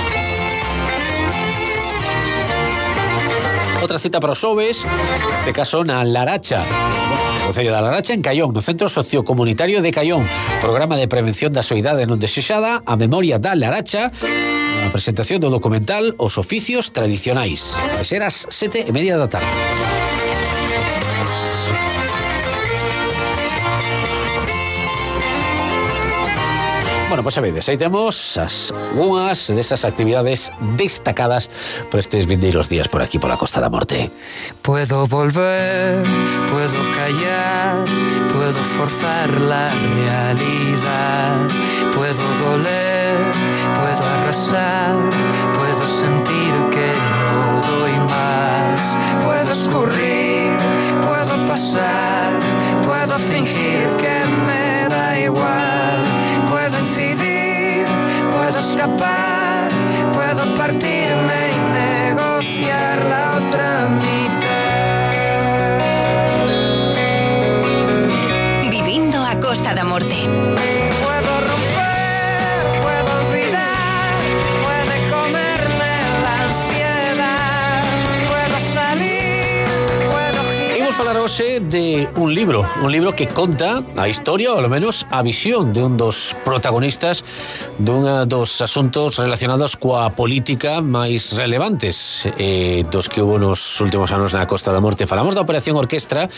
Outra cita para os xoves, neste caso na Laracha, no Concello da Laracha, en Caión, no Centro Sociocomunitario de Caión. Programa de prevención da soidade non desexada, a memoria da Laracha, a presentación do documental Os Oficios Tradicionais. Vai ser ás sete e media da tarde. Bueno, pois pues, sabedes, aí temos as unhas desas actividades destacadas por estes vindeiros días por aquí, pola Costa da Morte. Puedo volver, puedo callar, puedo forzar la realidad, puedo doler, puedo arrasar, puedo sentir que no doy más, puedo escurrir, puedo pasar, puedo fingir que me da igual, puedo incidir, puedo escapar, puedo partirme y negociar la otra mitad. Vivindo a Costa da Morte. Puedo romper, puedo olvidar, puede comerme la ansiedad, puedo salir, puedo girar. Imos falar hoxe de un libro, un libro que conta a historia, ou ao menos a visión de un dos protagonistas dun dos asuntos relacionados coa política máis relevantes eh, dos que hubo nos últimos anos na Costa da Morte. Falamos da Operación Orquestra,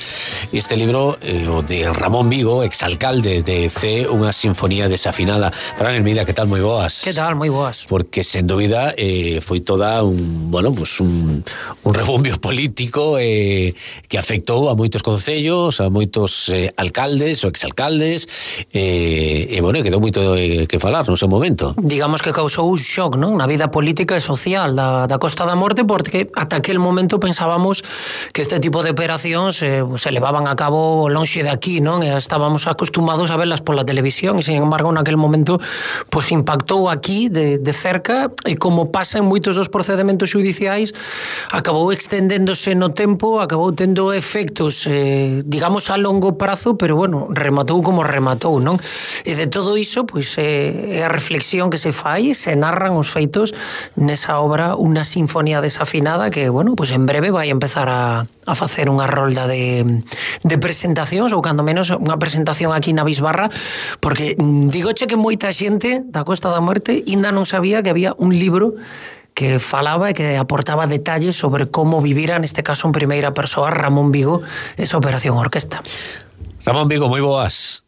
e este libro, eh, o de Ramón Vigo, exalcalde de C, unha sinfonía desafinada. Fran Hermida, que tal? Moi boas. Que tal? Moi boas. Porque, sen dúbida, eh, foi toda un, bueno, pues un, un rebumbio político eh, que afectou a moitos concellos, a moitos eh, alcaldes ou exalcaldes, eh, e, bueno, quedou moito eh, que falar no seu momento. Digamos que causou un shock, non? Na vida política e social da, da Costa da Morte, porque ata aquel momento pensábamos que este tipo de operacións eh, se levaban a cabo lonxe de aquí, non? E estábamos acostumados a verlas pola televisión, e, sin embargo, naquel momento pues, impactou aquí de, de cerca, e como pasa en moitos dos procedementos judiciais, acabou extendéndose no tempo, acabou tendo efectos, eh, digamos, a longo prazo, pero, bueno, rematou como rematou, non? E de todo iso, pois, é a reflexión que se fai, se narran os feitos nesa obra, unha sinfonía desafinada que, bueno, pois en breve vai empezar a, a facer unha rolda de, de presentacións, ou cando menos unha presentación aquí na Bisbarra, porque digoche que moita xente da Costa da Morte ainda non sabía que había un libro que falaba e que aportaba detalles sobre como vivira, neste caso en primeira persoa, Ramón Vigo, esa Operación Orquestra. Ramón Vigo, moi boas.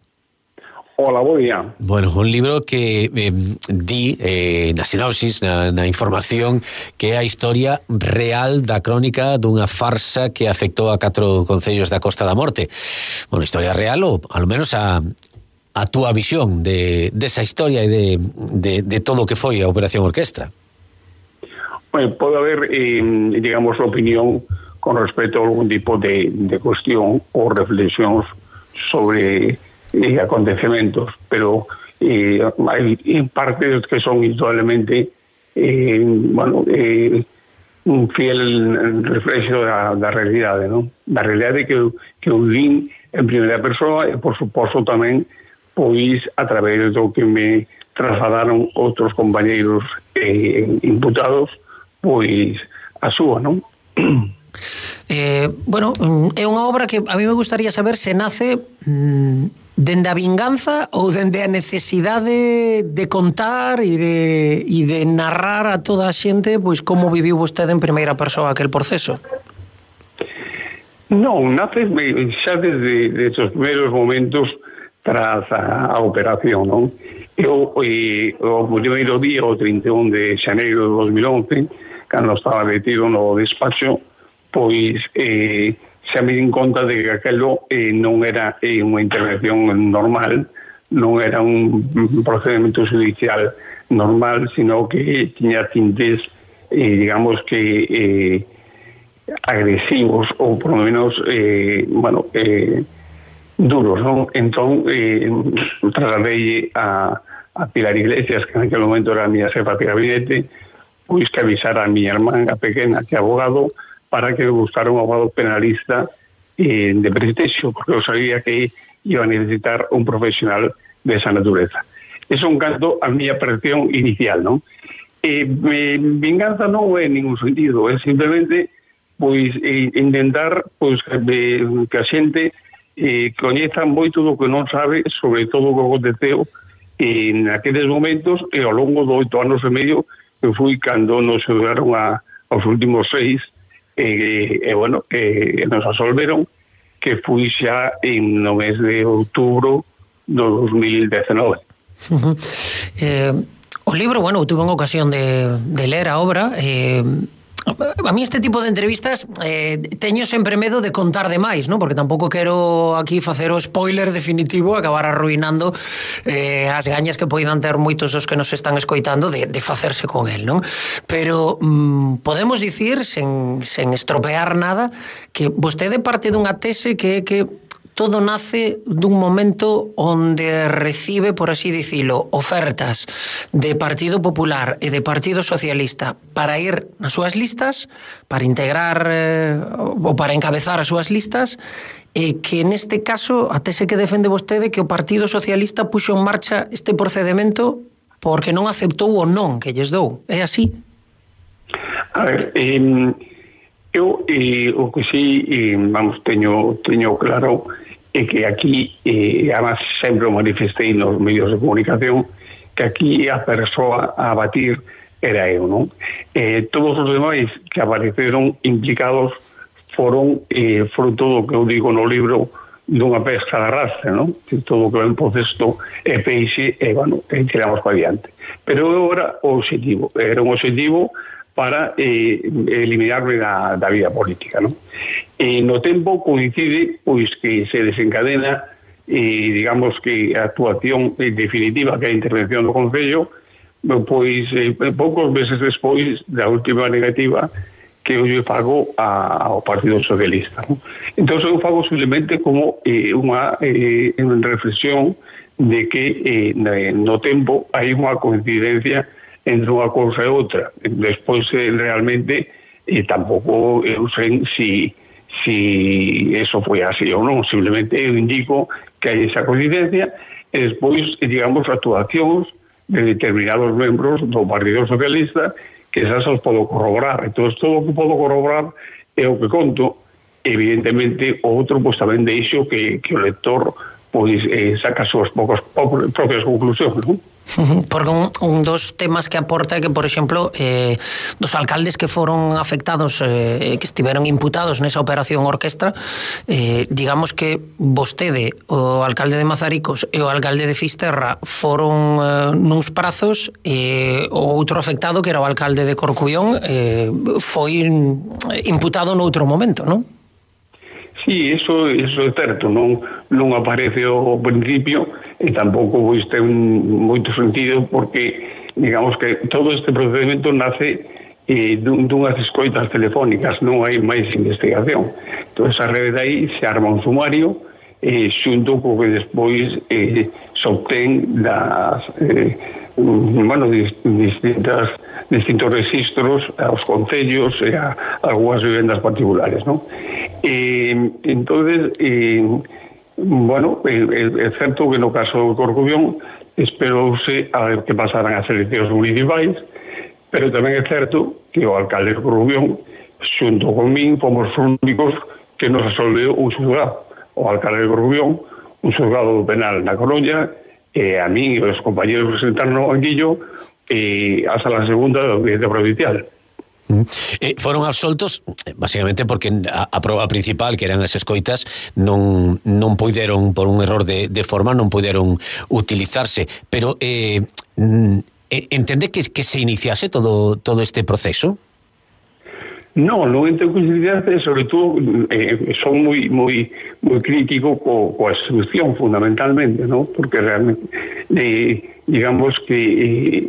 Hola, bo día. Bueno, un libro que eh, di eh, na sinopsis, na, na información, que é a historia real da crónica dunha farsa que afectou a catro concellos da Costa da Morte. Bueno, historia real ou, ao menos, a, a túa visión de, desa historia e de, de, de todo o que foi a Operación Orquestra. Bueno, pode haber, eh, digamos, opinión con respecto a algún tipo de, de cuestión ou reflexións sobre eh, acontecementos, pero eh, hai partes que son indudablemente eh, bueno, eh, un fiel reflexo da, da realidade, non? Da realidade que, que eu vin en primeira persoa e, por suposto, tamén pois a través do que me trasladaron outros compañeiros eh, imputados, pois a súa, non? Eh, bueno, é unha obra que a mí me gustaría saber se nace mmm, dende a vinganza ou dende a necesidade de contar e de, e de narrar a toda a xente pois como viviu vostede en primeira persoa aquel proceso. Non, nace xa desde, desde os primeiros momentos tras a, a operación, non? Eu, e, o primeiro día, o trinta e un de xaneiro de dos mil once, cando estaba metido no despacho, pois eh, xa me din conta de que aquelo eh, non era eh, unha intervención normal, non era un procedimento judicial normal, sino que tiña tintes, eh, digamos que eh, agresivos ou por lo menos eh, bueno, eh, duros, non? Entón eh, trasladei a, a Pilar Iglesias, que en aquel momento era a miña xefa de gabinete, pois que avisara a miña irmán, a pequena, que é abogado, para que buscara un abogado penalista eh, de prestexio, porque eu sabía que iba a necesitar un profesional de esa natureza. Es un canto a miña percepción inicial, non? Eh, me, vinganza non é en ningún sentido, é simplemente pois eh, intentar pois que, que a xente eh, coñeza moito do que non sabe sobre todo o que aconteceu en aqueles momentos e ao longo de oito anos e medio que fui cando nos chegaron a, aos últimos seis e, e bueno, e nos absolveron, que fui xa en no mes de outubro do dos mil dezenove. Uh-huh. eh, o libro, bueno, tuve unha ocasión de, de ler a obra. eh, a mí este tipo de entrevistas eh, teño sempre medo de contar demais, ¿no? Porque tampouco quero aquí facer o spoiler definitivo, acabar arruinando eh, as gañas que poidan ter moitos os que nos están escoitando de, de facerse con el, non? Pero mm, podemos dicir, sen, sen estropear nada, que vostede parte dunha tese que é que todo nace dun momento onde recibe, por así dicilo, ofertas de Partido Popular e de Partido Socialista para ir nas súas listas, para integrar eh, ou para encabezar as súas listas, e que neste caso, a tese que defende vostede, que o Partido Socialista puxo en marcha este procedimento porque non aceptou o non que lles dou. É así? A ver, eh, eu eh, o que sí, eh, vamos, teño, teño claro é que aquí, eh, además sempre o manifestei nos medios de comunicación, que aquí a persoa a batir era eu, non? Eh, todos os demais que apareceron implicados foron eh, fruto do que eu digo no libro dunha pesca de arrastre, non? Que todo o que ven por cesto é peixe e, bueno, e tiramos para adiante. Pero eu era o objetivo, era un objetivo para eh, eliminarme da, da vida política, non? E no tempo coincide pois que se desencadena e digamos que a actuación definitiva que é a intervención do Concello pois eh, poucos meses despois da última negativa que eu fago a, ao Partido Socialista, ¿no? Entón eu fago simplemente como eh, unha eh, reflexión de que eh, no tempo hai unha coincidencia entre unha cousa e outra. Despois eh, realmente eh, tampouco eu sei si si eso foi así ou non, simplemente eu indico que hai esa coincidencia e despois, digamos, actuacións de determinados membros do Partido Socialista que esas os podo corroborar. Entón, todo o que podo corroborar é o que conto. Evidentemente, o outro, pois tamén deixo que, que o lector pois eh, saca as súas poucas propias conclusións, non? Porque un, un dos temas que aporta é que, por exemplo, eh, dos alcaldes que foron afectados, eh, que estiveron imputados nesa operación orquestra, eh, digamos que vostede, o alcalde de Mazaricos e o alcalde de Fisterra foron eh, nuns prazos, e eh, o outro afectado, que era o alcalde de Corcubión, eh, foi imputado noutro momento, non? Sí, eso, eso é certo, non, non aparece ao principio e tampouco pois, ten moito sentido porque, digamos que todo este procedimento nace eh, dunhas escoitas telefónicas, non hai máis investigación. Entón, a rede de aí se arma un sumario eh, xunto co que despois eh, se obtén das eh, bueno, distintas distintos registros aos concellos e a algunhas vivendas particulares, non? Eh, entonces, eh, bueno, é eh, eh, certo que no caso do Corcubión esperouse a ver que pasaran as eleccións municipais, pero tamén é certo que o alcalde de Corcubión, xunto con min, fomos os únicos que nos resolveu un xulgado. O alcalde de Corcubión, un xulgado penal na Coruña, e a min e os compañeros que sentaron no banquillo e a sala segunda da Audiencia Provincial. Eh, foron absoltos basicamente porque a, a proba principal, que eran as escoitas, non, non puideron, por un error de, de forma, non puideron utilizarse, pero eh, entende que, que se iniciase todo, todo este proceso? No, non entendo que se iniciase, sobre todo eh, son moi moi moi crítico co, coa instrucción fundamentalmente, ¿no? Porque realmente eh, digamos que eh,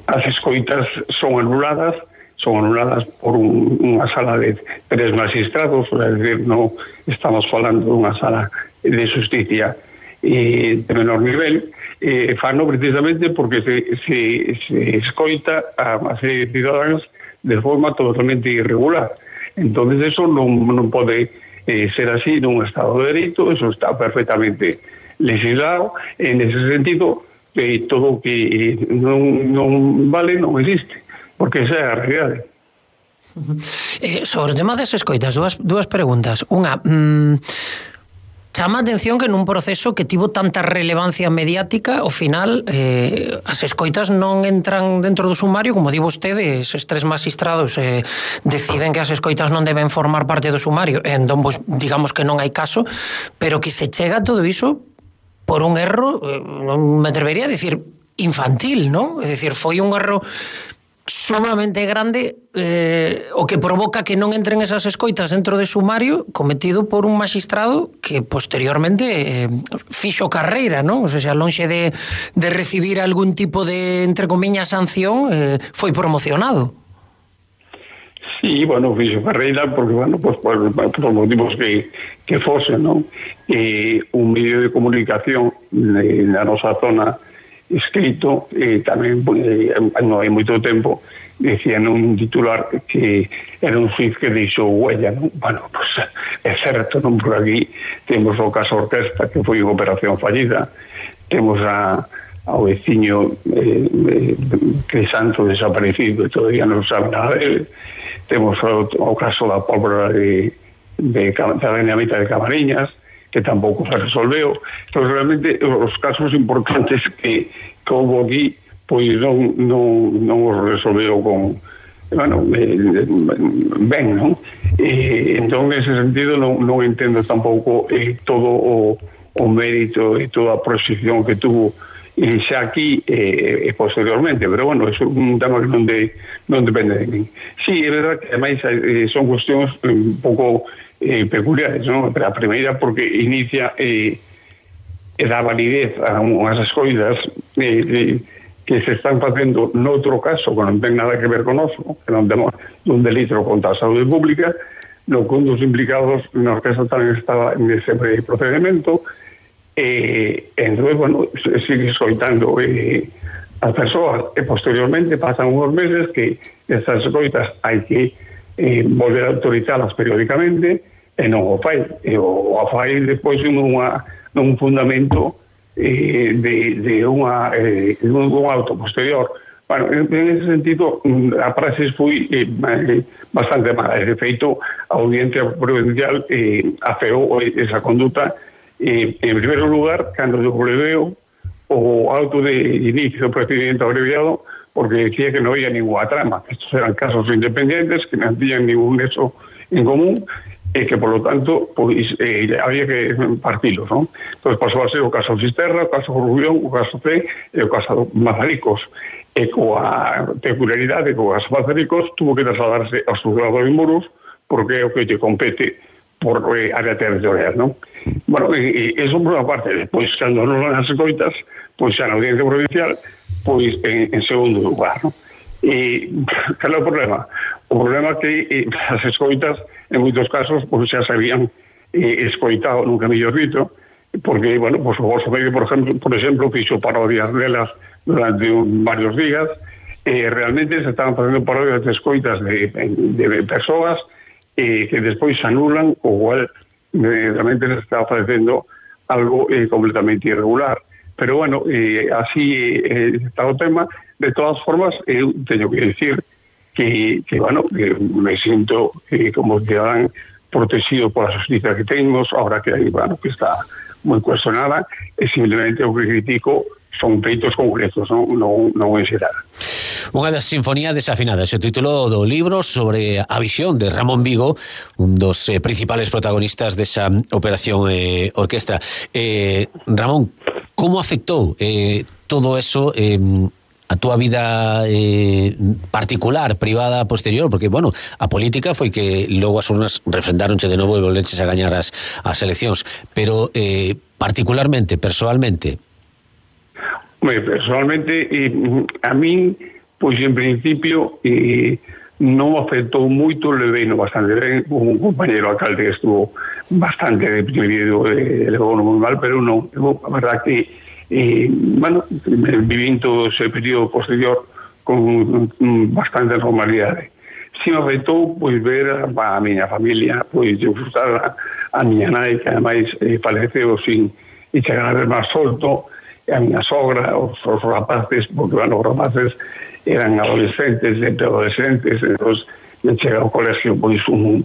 as escoitas son anuladas son anuladas por un, unha sala de tres magistrados, é dicir, non estamos falando dunha sala de justicia eh, de menor nivel, eh, fano precisamente porque se, se, se escoita a unha serie de ciudadanos de forma totalmente irregular. Entonces eso non, non pode eh, ser así nun Estado de Dereito, eso está perfectamente legislado, en ese sentido eh, todo o que eh, non, non vale non existe, porque esa é a realidade. Eh, sobre o tema das escoitas, dúas, dúas preguntas. Unha, mmm, chama a atención que nun proceso que tivo tanta relevancia mediática, ao final eh, as escoitas non entran dentro do sumario, como di vostede, eses tres magistrados eh, deciden que as escoitas non deben formar parte do sumario, entón, pues, digamos que non hai caso, pero que se chega a todo iso por un erro, eh, non me atrevería a decir infantil, non? É dicir, foi un erro sumamente grande eh, o que provoca que non entren esas escoitas dentro de sumario cometido por un magistrado que posteriormente eh, fixo carreira, non? O sea, lonxe de, de recibir algún tipo de, entre comillas, sanción, eh, foi promocionado. Sí, bueno, fixo carreira porque, bueno, pues, por, por motivos que, que fose, non? Eh, un medio de comunicación de, na nosa zona escrito, e tamén eh, non hai moito tempo decían un titular que era un suiz que deixou huella, non? Bueno, pues é certo, non? Por aquí temos o caso Orquesta, que foi unha operación fallida, temos a, ao veciño eh, eh, Crisanto desaparecido, todavía non sabe nada dele, temos o, o caso da pólvora de, de, de, da dinamita de Camariñas, que tampouco se resolveu. Entón, realmente, os casos importantes que, que houve aquí, pois non, non, non os resolveu con, bueno, eh, ben, non? Eh, entón, en ese sentido, non, non entendo tampouco eh, todo o, o mérito e toda a proxección que tuvo eh, xa aquí e eh, posteriormente, pero, bueno, é un tema que non, de, non depende de mí. Sí, é verdad que, ademais, eh, son cuestións un pouco Eh, peculiares, non? A primeira porque inicia eh, e dá validez a unhas escoidas eh, eh, que se están facendo noutro caso que non ten nada que ver con oso, que non temos un delito contra a saúde pública, no que un dos implicados na orquesta tamén estaba nese procedimento, e eh, entón, bueno, sigue escoitando eh, as persoas, e posteriormente pasan uns meses que estas escoitas hai que eh, volver a autorizalas periódicamente, e non o fai, e o, o fai depois nunha, nun fundamento eh, de, de unha eh, un, un auto posterior. Bueno, en, en ese sentido a praxis foi eh, bastante mala, de feito a Audiencia Provincial eh, afeou esa conduta Eh, en primeiro lugar, cando eu preveo o auto de inicio do procedimento abreviado, porque decía que non había ninguna trama, que estos eran casos independientes, que non tiñan ningún nexo en común, e que, por lo tanto, pois, eh, había que partilos, non? Entón, pasou a ser o caso Fisterra, o caso Rubión, o caso C e o caso Mazaricos. E coa peculiaridade, co caso Mazaricos, tuvo que trasladarse ao xulgado de Muros, porque é o que te compete por eh, área territorial, non? Bueno, e, e eso por unha parte. Depois, cando non as escoitas, pois xa na audiencia provincial, pois en, en segundo lugar, non? E cal é o problema? O problema é que eh, as escoitas, en moitos casos, pois xa se habían eh, escoitado nunca mellor dito, porque, bueno, pois o Bolso Medio, por exemplo, por exemplo, fixo parodias delas durante un, varios días, e eh, realmente se estaban facendo parodias de escoitas de, de, de persoas eh, que despois se anulan, o cual eh, realmente se estaba facendo algo eh, completamente irregular. Pero, bueno, eh, así eh, está o tema. De todas formas, eu teño que decir que, que bueno, que me siento eh, como ciudadano protegido por la justicia que tenemos, ahora que, bueno, que está moi cuestionada, e simplemente o que critico son feitos concretos, non, non, non en xeral. Unha das sinfonías desafinadas, o título do libro sobre a visión de Ramón Vigo, un dos eh, principales protagonistas desa operación eh, orquestra. Eh, Ramón, como afectou eh, todo eso eh, a túa vida eh, particular, privada, posterior? Porque, bueno, a política foi que logo as urnas refrendáronche de novo e volveches a gañar as, as eleccións, pero eh, particularmente, persoalmente? Bueno, personalmente, eh, a min, pois en principio, eh, non afectou moito, levei no bastante ben, un compañero alcalde que estuvo bastante deprimido, eh, levou moi mal, pero non, a verdad que Eh, bueno, viví todo ese período posterior con bastante normalidade. Si me afectou, pois, ver a miña familia, pois, disfrutar a, a miña nai, que ademais eh, faleceu sin e chegar a ver máis solto, a miña sogra, os, os rapaces, porque, bueno, os rapaces eran adolescentes, entre adolescentes, entón, me chega ao colegio, pois, un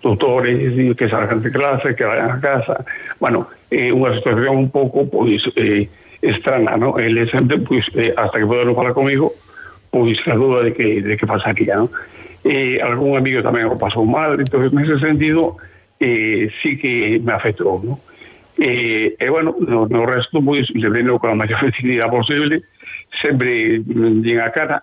tutores que salgan de clase, que vayan a casa. Bueno, eh, unha situación un pouco, pois, eh, estrana, ¿no? Ele sempre, pois, eh, hasta que poderon falar comigo, pois, a duda de que, de que pasaría, ¿no? Eh, algún amigo tamén o pasou mal, entonces, nese sentido, eh, sí que me afectou, ¿no? E, eh, eh, bueno, no, no resto, pois, le veno con a maior facilidade posible, sempre din a cara,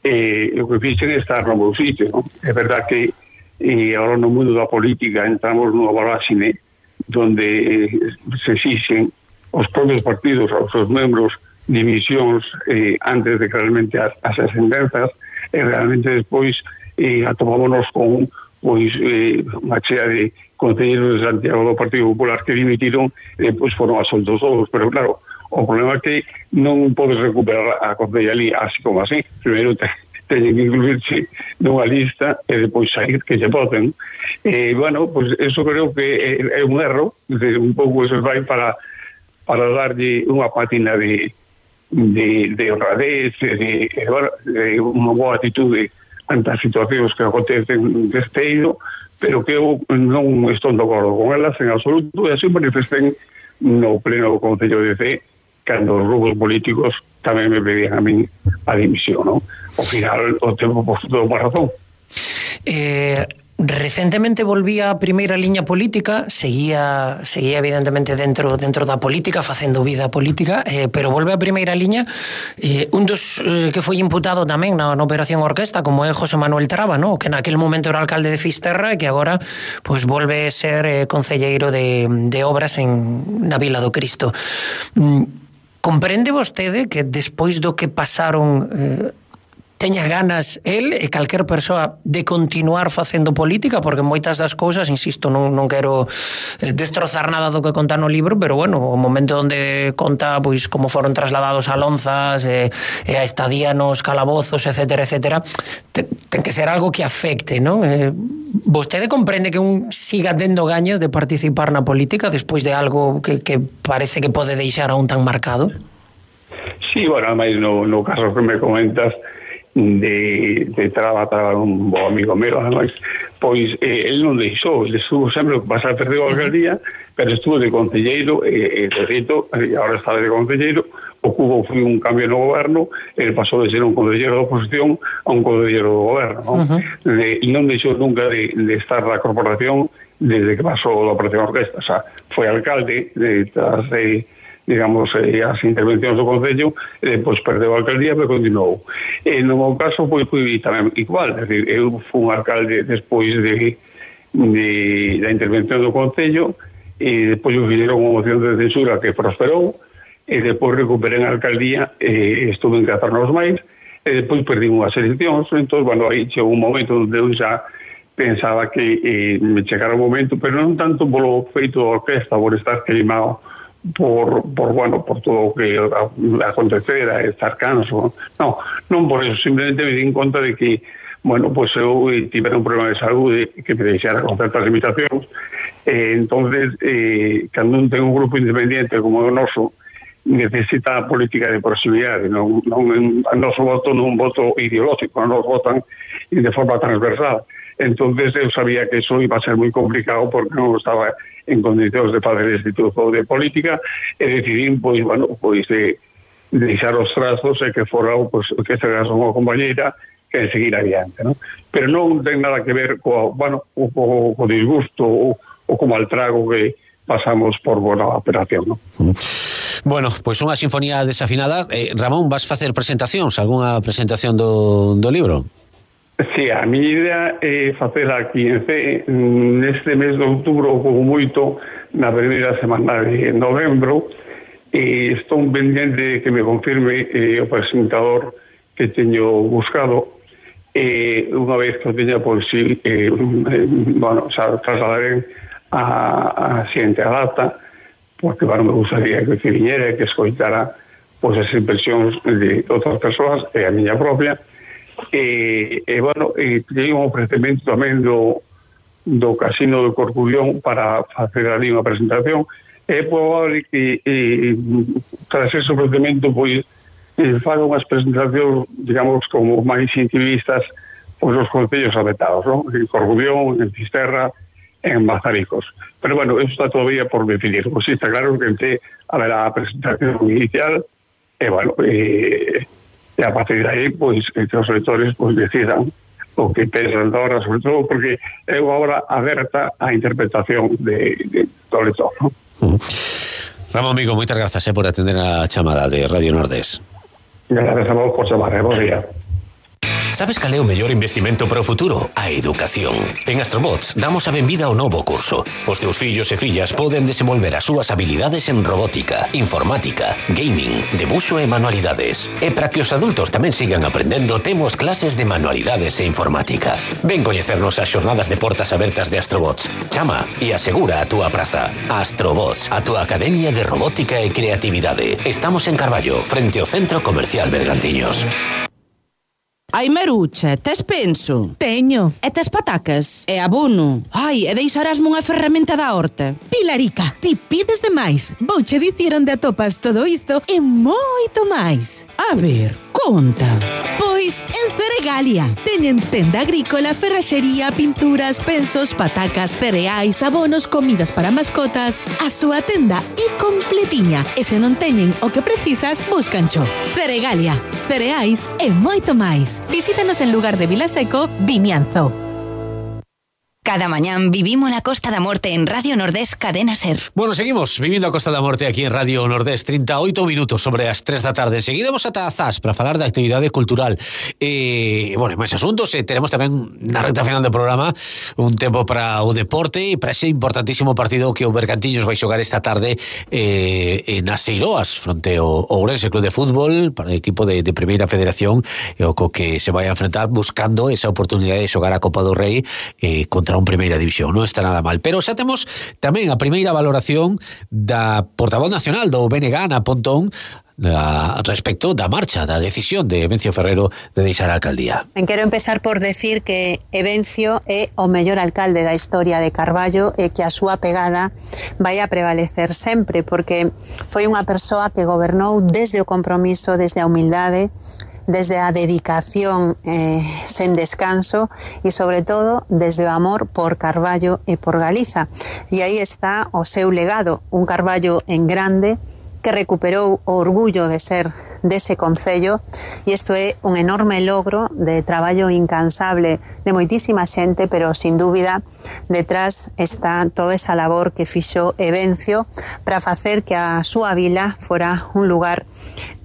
eh, o que fixen é estar no meu sitio, ¿no? É verdad que eh, agora no mundo da política entramos nunha voráxine donde eh, se exixen os propios partidos aos seus membros dimisións eh, antes de que realmente as, as ascendenzas, e realmente despois eh, atomámonos con pois eh, unha chea de concelleiros de Santiago do Partido Popular que dimitiron e depois foron asoltos todos, pero claro, o problema é que non podes recuperar a concellalía así como así. Primeiro te, teñen que incluirse nunha lista e depois sair que se voten. E, bueno, pues eso creo que é, é un erro, de un pouco eso vai para para darlle unha pátina de, de, de honradez, de, de, de unha boa atitude ante as situacións que acontecen deste eido, pero que eu non estou de acordo con elas en absoluto, e así manifesten no pleno do Concello de C, cando os grupos políticos tamén me pedían a min a dimisión, non? Ao final, o tempo por todo má razón. Eh... Recentemente volvía a primeira liña política, seguía seguía evidentemente dentro dentro da política, facendo vida política, eh, pero volve a primeira liña. Eh, un dos eh, que foi imputado tamén na, na Operación Orquesta, como é José Manuel Traba, ¿no? Que naquel momento era alcalde de Fisterra e que agora pues, volve a ser eh, concelleiro de, de obras en, na Vila do Cristo. Mm, comprende vostede que despois do que pasaron... Eh, teña ganas el e calquer persoa de continuar facendo política, porque moitas das cousas, insisto, non, non quero destrozar nada do que conta no libro, pero bueno, o momento onde conta pois como foron trasladados a Lonzas e, e a estadía nos calabozos, etcétera, etcétera, ten, ten que ser algo que afecte, non? Eh, vostede comprende que un siga tendo gañas de participar na política despois de algo que, que parece que pode deixar a un tan marcado? Sí, bueno, además no, no caso que me comentas, de, de trabajar un bo amigo meu, además, pois eh, ele non deixou, ele estuvo sempre pasar perdeu a alcaldía, pero estuvo de concelleiro e, e de feito, e agora está de concelleiro. O Cubo foi un cambio no goberno, ele pasou de ser un concelleiro da oposición a un concelleiro do goberno, non? Uh-huh. De, e non deixou nunca de, de estar na corporación desde que pasou a Operación Orquesta, o sea, foi alcalde de, tras de, digamos, eh, as intervencións do Concello, e depois perdeu a alcaldía, pero continuou. E no meu caso, pois, foi tamén igual, é dicir, eu fui un alcalde despois de, de da intervención do Concello, e depois eu fixeron unha moción de censura que prosperou, e depois recuperei a alcaldía, e estuve en catro anos máis, e depois perdimos as eleccións, entón, bueno, aí chegou un momento onde eu xa pensaba que eh, me chegara o momento, pero non tanto polo feito da orquesta, por estar queimado, por, por bueno, por todo o que acontecera, estar canso, no, non por eso, simplemente me di en conta de que, bueno, pues eu tivera un problema de saúde que me deixara con certas limitacións, eh, entonces, eh, cando un ten un grupo independiente como o noso, necesita política de proximidade, non, non, o noso voto non un voto ideológico, non nos votan de forma transversal. Entonces eu sabía que eso iba a ser moi complicado porque non estaba en condicións de fazer este tipo de política e decidí, pois, bueno, pois de, de deixar os trazos e que fora, pois, que este caso unha compañeira que seguir adiante, ¿no? Pero non ten nada que ver co, bueno, co, co, co disgusto ou, ou co maltrago que pasamos por boa operación, ¿no? Bueno, pois unha sinfonía desafinada. eh, Ramón, vas facer presentacións? Algúnha presentación do, do libro? Sí, a mi idea é facer aquí en C neste mes de outubro como moito na primeira semana de novembro e estou pendiente que me confirme eh, o presentador que teño buscado e eh, unha vez que o teña pois sí, eh, eh, bueno, xa trasladaré a, a xente a data porque bueno, me gustaría que viñera e que escoitara pois as impresións de outras persoas e a miña propia. E, e bueno, e teño un ofrecemento tamén do, do Casino de Corcubión para facer ali unha presentación. É probable que e, tras ese ofrecemento pois faga unhas presentacións, digamos, como máis intimistas pois os concellos afectados, non? En Corcubión, en Fisterra, en Mazaricos. Pero bueno, eso está todavía por definir. Pois sí, está claro que ente haberá a presentación inicial e bueno, e e a partir de aí, pois, entre os lectores pois decidan o que pensan agora, sobre todo porque é unha obra aberta á interpretación de, de do lector, ¿no? Uh-huh. Ramón Mico, moitas grazas eh, por atender a chamada de Radio Nordés. Gracias a vos por chamar, eh, bo día. Sabes cal é o mellor investimento para o futuro? A educación. En Astrobots damos a benvida ao novo curso. Os teus fillos e fillas poden desenvolver as súas habilidades en robótica, informática, gaming, debuxo e manualidades. E para que os adultos tamén sigan aprendendo, temos clases de manualidades e informática. Ven coñecernos as xornadas de portas abertas de Astrobots. Chama e asegura a túa praza. Astrobots, a túa academia de robótica e creatividade. Estamos en Carballo, frente ao Centro Comercial Bergantiños. Ai, Marucha, tes penso? Teño. E tes patacas? E abono? Ai, e deixarásme unha ferramenta da horta? Pilarica, ti pides demais. Vouche dicir onde atopas todo isto e moito máis. A ver, conta. Pois en Ceregalia. Teñen tenda agrícola, ferraxería, pinturas, pensos, patacas, cereais, abonos, comidas para mascotas. A súa tenda é completiña. E se non teñen o que precisas, búscancho. Ceregalia, cereais e moito máis. Visítanos en lugar de Vilaseco, Vimianzo. Cada mañán vivimos la Costa da Morte en Radio Nordés Cadena Ser. Bueno, seguimos vivindo a Costa da Morte aquí en Radio Nordés, treinta e oito minutos sobre as tres da tarde. Seguidemos ata a Zas para falar da actividade cultural. E, bueno, máis asuntos, e teremos tamén na recta final do programa un tempo para o deporte e para ese importantísimo partido que o Bergantiños vai xogar esta tarde eh, en Aseiroas, fronte ao Ourense Club de Fútbol, para o equipo de, de Primeira Federación, e o co que se vai a enfrentar buscando esa oportunidade de xogar a Copa do Rei eh, contra un Primeira División. Non está nada mal, pero xa temos tamén a primeira valoración da portavoz nacional do B N G, Ana Pontón, a respecto da marcha, da decisión de Evencio Ferrero de deixar a alcaldía. En quero empezar por decir que Evencio é o mellor alcalde da historia de Carballo e que a súa pegada vai a prevalecer sempre, porque foi unha persoa que gobernou desde o compromiso, desde a humildade, desde a dedicación eh, sen descanso e, sobre todo, desde o amor por Carballo e por Galiza. E aí está o seu legado, un Carballo en grande que recuperou o orgullo de ser dese concello, e isto é un enorme logro de traballo incansable de moitísima xente, pero sin dúbida detrás está toda esa labor que fixo Evencio para facer que a súa vila fora un lugar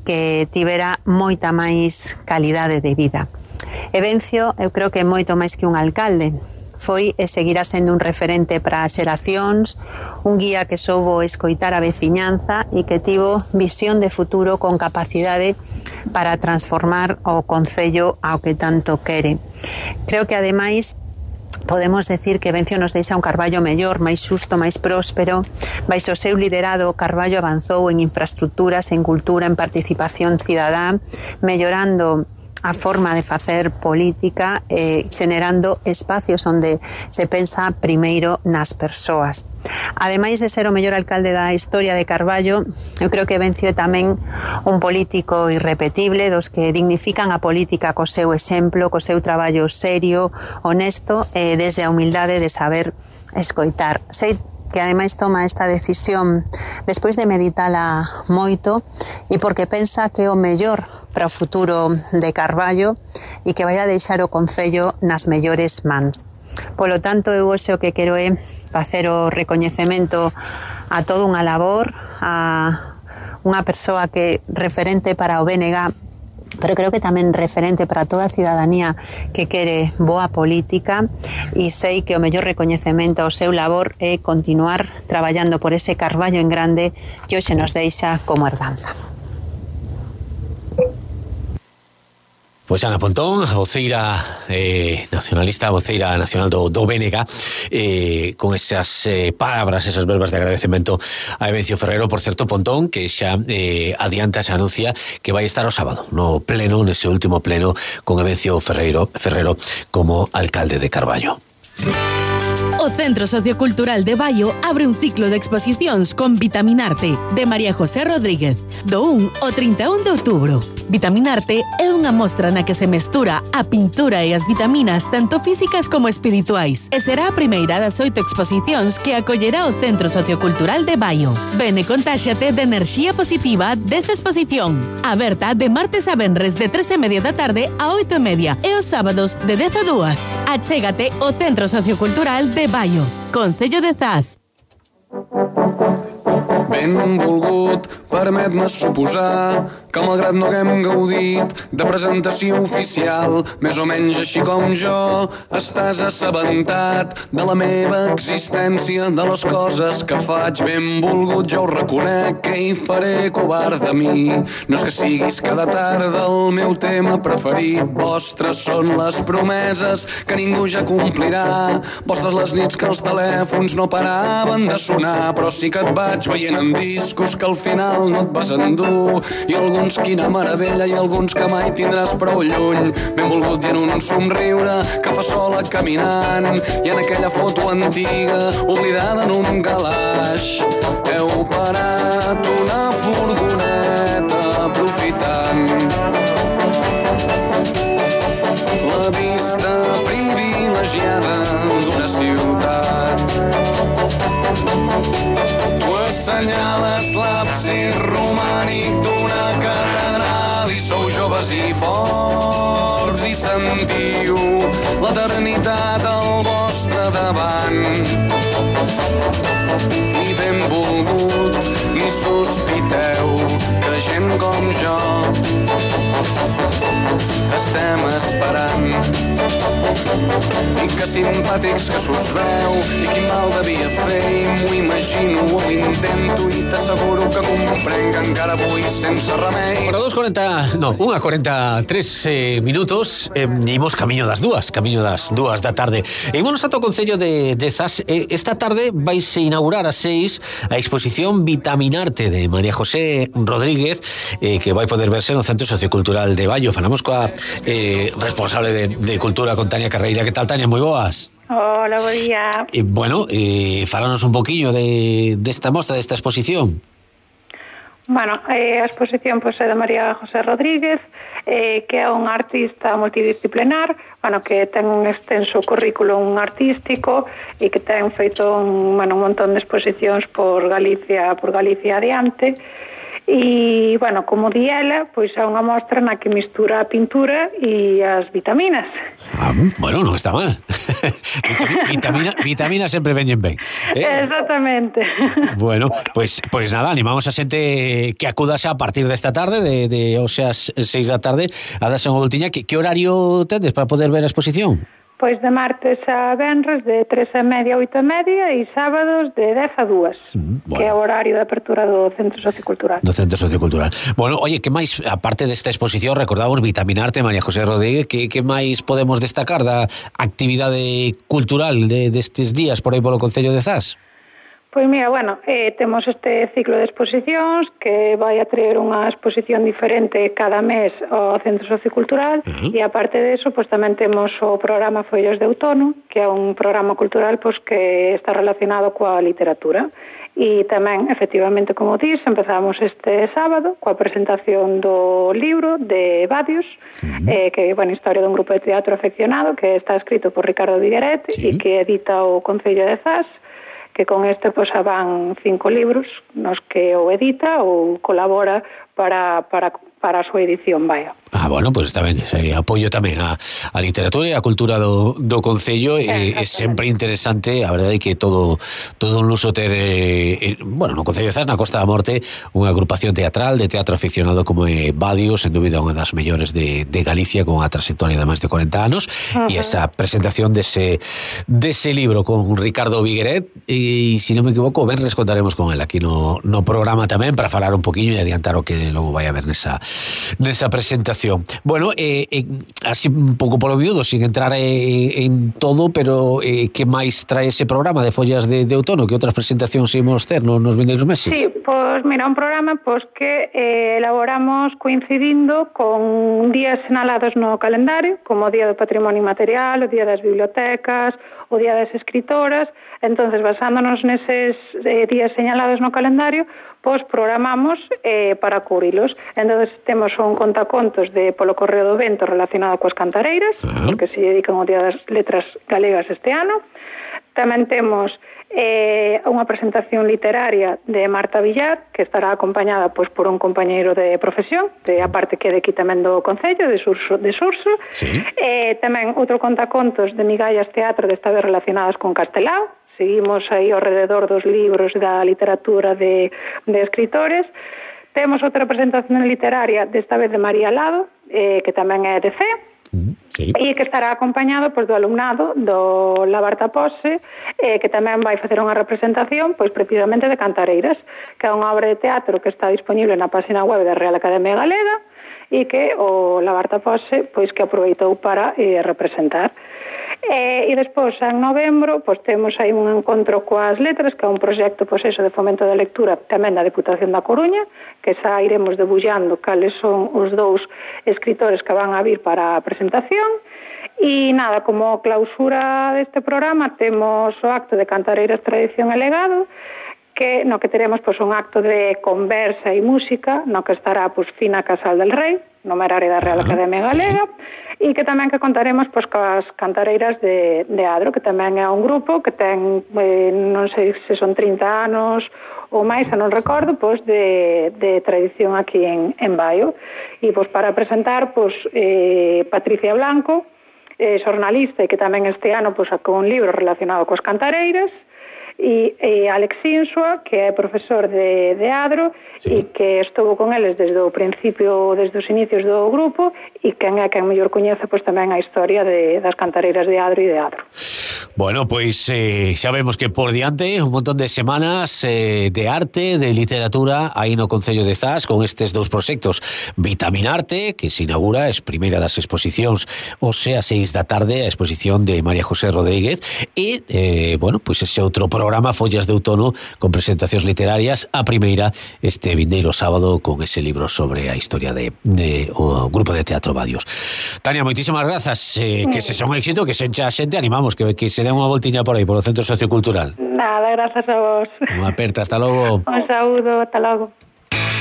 que tivera moita máis calidade de vida. Evencio, eu creo que é moito máis que un alcalde. Foi e seguirá sendo un referente para as xeracións, un guía que soubo escoitar a veciñanza e que tivo visión de futuro con capacidade para transformar o concello ao que tanto quere. Creo que, ademais, podemos decir que Evencio nos deixa un Carballo mellor, máis xusto, máis próspero. Baixo o seu liderado, Carballo avanzou en infraestructuras, en cultura, en participación cidadá, mellorando a forma de facer política, eh, generando espacios onde se pensa primeiro nas persoas. Ademais de ser o mellor alcalde da historia de Carballo, eu creo que Evencio é tamén un político irrepetible, dos que dignifican a política co seu exemplo, co seu traballo serio, honesto, e desde a humildade de saber escoitar. Sei que ademais toma esta decisión despois de meditala moito e porque pensa que é o mellor para o futuro de Carballo e que vai a deixar o concello nas mellores mans. Polo tanto, eu hoxe o que quero é facer o recoñecemento a toda unha labor, a unha persoa que é referente para o B N G, pero creo que tamén referente para toda a cidadanía que quere boa política, e sei que o mellor recoñecemento ao seu labor é continuar traballando por ese Carballo en grande que hoxe nos deixa como herdanza. Pois Ana Pontón, a voceira eh, nacionalista, a voceira nacional do, do B N G, eh, con esas eh, palabras, esas verbas de agradecemento a Evencio Ferrero. Por certo, Pontón, que xa eh, adianta, xa anuncia que vai estar o sábado no pleno, nese último pleno, con Evencio Ferreiro, Ferrero como alcalde de Carballo. O Centro Sociocultural de Baio abre un ciclo de exposicións con Vitaminarte, de María José Rodríguez, do un ao trinta e un de outubro. Vitaminarte é unha mostra na que se mestura a pintura e as vitaminas tanto físicas como espirituais, e será a primeira das oito exposicións que acollerá o Centro Sociocultural de Baio. Ven e contáxate de enerxía positiva desta exposición, aberta de martes a venres de tres e media da tarde a oito e media e os sábados de dez a dúas. Achégate ao Centro Sociocultural de Baio, Concello de Zas. Benvolgut, permet-me suposar que malgrat no haguem gaudit de presentació oficial, més o menys així com jo, estàs assabentat de la meva existència, de les coses que faig. Benvolgut, jo ho reconec, que hi faré covard de mi. No és que siguis cada tarda el meu tema preferit, vostres són les promeses que ningú ja complirà, vostres les nits que els telèfons no paraven de sonar, però sí que et vaig veient en discos que al final no et vas endur, i alguns quina meravella i alguns que mai tindràs prou lluny. Benvolgut, i en un somriure que fa sola caminant, i en aquella foto antiga oblidada en un calaix heu parat una furgoneta aprofitant la vista privilegiada d'una ciutat. Assenyales l'absis romànic d'una catedral i sou joves i forts i sentiu l'eternitat al vostre davant. I benvolgut, ni sospiteu que gent com jo estem esperant. I que simpàtics que s'us veu, i quin mal devia fer, i m'ho imagino, ho intento, i t'asseguro que comprenc que encara avui sense remei. Bueno, dos cuarenta, no, unha cuarenta e tres eh, minutos, eh, imos camiño das dúas, camiño das dúas da tarde. E imos ata o Concello de, de Zas. Eh, esta tarde vaise inaugurar a seis a exposición Vitaminarte de María José Rodríguez, eh, que vai poder verse no Centro Sociocultural de Baio. Falamos coa eh, responsable de, de Cultura, con Tania Carreira. Que tal, Tania? Moi boas. Hola, bo día. Eh, bueno, eh, falanos un poquillo de desta de mostra, desta exposición. Bueno, eh, a exposición pois, é de María José Rodríguez, eh, que é un artista multidisciplinar, bueno, que ten un extenso currículum artístico e que ten feito un, bueno, un montón de exposicións por Galicia, por Galicia adiante. E, bueno, como di ela, pois é unha mostra na que mistura a pintura e as vitaminas. Ah, bueno, non está mal. Vitamina, vitamina sempre veñen ben. Eh? Exactamente. Bueno, pois pues, pues nada, animamos a xente que acudase a partir desta tarde, de, de o sea, seis da tarde, a darse unha voltiña. Que, que horario tendes para poder ver a exposición? Pois de martes a venres de tres e media a oito e media e sábados de dez a dúas, mm, bueno. Que é o horario de apertura do Centro Sociocultural. Do Centro Sociocultural. Bueno, oye, que máis, aparte desta exposición, recordamos Vitaminarte, María José Rodríguez, que, que máis podemos destacar da actividade cultural de, destes días por aí polo Concello de Zas? Pois mira, bueno, eh, temos este ciclo de exposicións que vai a traer unha exposición diferente cada mes ao Centro Sociocultural. Uh-huh. E aparte de eso, pois tamén temos o programa Follos de Outono, que é un programa cultural pois que está relacionado coa literatura. E tamén, efectivamente, como dís, empezamos este sábado coa presentación do libro de Badios, uh-huh. eh, que é bueno, historia dun grupo de teatro afeccionado que está escrito por Ricardo Vigueret e sí. que edita o Concello de Zas, que con este pois van cinco libros nos que o edita ou colabora para, para, para a súa edición, vaya. Ah, bueno, pois pues está ben, ese apoio tamén a, a literatura e a cultura do, do Concello é, é sempre interesante, a verdade é que todo todo un luso ter, eh, bueno, no Concello de Zas, na Costa da Morte, unha agrupación teatral de teatro aficionado como é Badios, en dúbida unha das mellores de, de Galicia, con unha trayectoria de máis de cuarenta anos, uh-huh. e esa presentación dese, dese libro con Ricardo Vigueret, e, se non me equivoco, ben rescontaremos con él aquí no, no programa tamén, para falar un poquinho e adiantar o que logo vai a ver nesa, nesa presentación. Bueno, eh, eh, así un pouco polo viudo, sin entrar eh, en todo, pero eh, que máis trae ese programa de Follas de, de Outono? Que outras presentacións imos ter no, nos vindeiros meses? Sí, pois mira, un programa pois que eh, elaboramos coincidindo con días senalados no calendario, como o Día do Patrimonio Inmaterial, o Día das Bibliotecas, o Día das Escritoras. Entonces, basándonos neses eh, días señalados no calendario, pois programamos eh, para cubrilos. Entonces temos un contacontos de polo Correo do Vento relacionado coas cantareiras, uh-huh. porque se dedican ao Día das Letras Galegas este ano. Tamén temos eh, unha presentación literaria de Marta Villar, que estará acompañada pois, por un compañeiro de profesión, de a parte que é de aquí tamén do Concello, de Surso. De Surso. Sí. Eh, tamén outro contacontos de Migallas Teatro, desta vez relacionadas con Castelao. Seguimos aí ao rededor dos libros da literatura de, de escritores. Temos outra presentación literaria, desta vez de María Lado, eh, que tamén é de C, sí. e que estará acompañado pois, do alumnado do Labarta Pose, eh, que tamén vai facer unha representación pois precisamente de Cantareiras, que é unha obra de teatro que está disponible na página web da Real Academia Galega e que o Labarta Pose pois, que aproveitou para eh, representar. E, e despois, en novembro, pois temos aí un encontro coas letras, que é un proxecto pois eso, de fomento da lectura tamén da Deputación da Coruña, que xa iremos debullando cales son os dous escritores que van a vir para a presentación. E nada, como clausura deste programa temos o acto de Cantareiras, Tradición e Legado, que no que teremos pois un acto de conversa e música, no que estará pois Fina Casal del Rei, no Merari da Real Academia Galega, e que tamén que contaremos pois coas Cantareiras de, de Adro, que tamén é un grupo que ten, eh, non sei se son trinta anos ou máis, non recordo, pois de, de tradición aquí en, en Baio. E pois para presentar pois eh, Patricia Blanco, eh, xornalista, e que tamén este ano pois sacou un libro relacionado coas Cantareiras, e, e Alex Insua, que é profesor de, de Adro, sí. e que estuvo con eles desde o principio, desde os inicios do grupo, e quen é quen mellor coñece pois tamén a historia de, das Cantareiras de Adro e de Adro. Bueno, pois eh, xa vemos que por diante un montón de semanas eh, de arte, de literatura aí no Concello de Zas, con estes dous proxectos. Vitaminarte, que se inaugura, es primeira das exposicións, o sea, seis da tarde, a exposición de María José Rodríguez, e, eh, bueno, pois ese outro programa, Follas de Outono, con presentacións literarias, a primeira este vindeiro sábado, con ese libro sobre a historia de, de o grupo de teatro Badios. Tania, moitísimas grazas, eh, que se xa un éxito, que se encha a xente, animamos, que, que se den unha voltiña por aí, polo Centro Sociocultural. Nada, grazas a vos. Unha aperta, hasta logo. Un saúdo, hasta logo.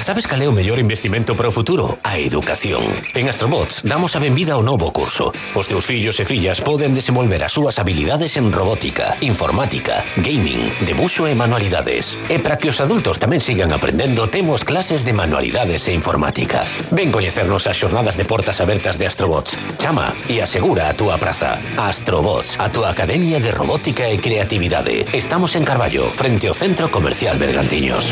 Sabes cal é o mellor investimento para o futuro? A educación. En Astrobots damos a benvida ao novo curso. Os teus fillos e fillas poden desenvolver as súas habilidades en robótica, informática, gaming, debuxo e manualidades. E para que os adultos tamén sigan aprendendo, temos clases de manualidades e informática. Ven coñecernos as xornadas de portas abertas de Astrobots. Chama e asegura a túa praza. Astrobots, a túa academia de robótica e creatividade. Estamos en Carballo, frente ao Centro Comercial Bergantiños.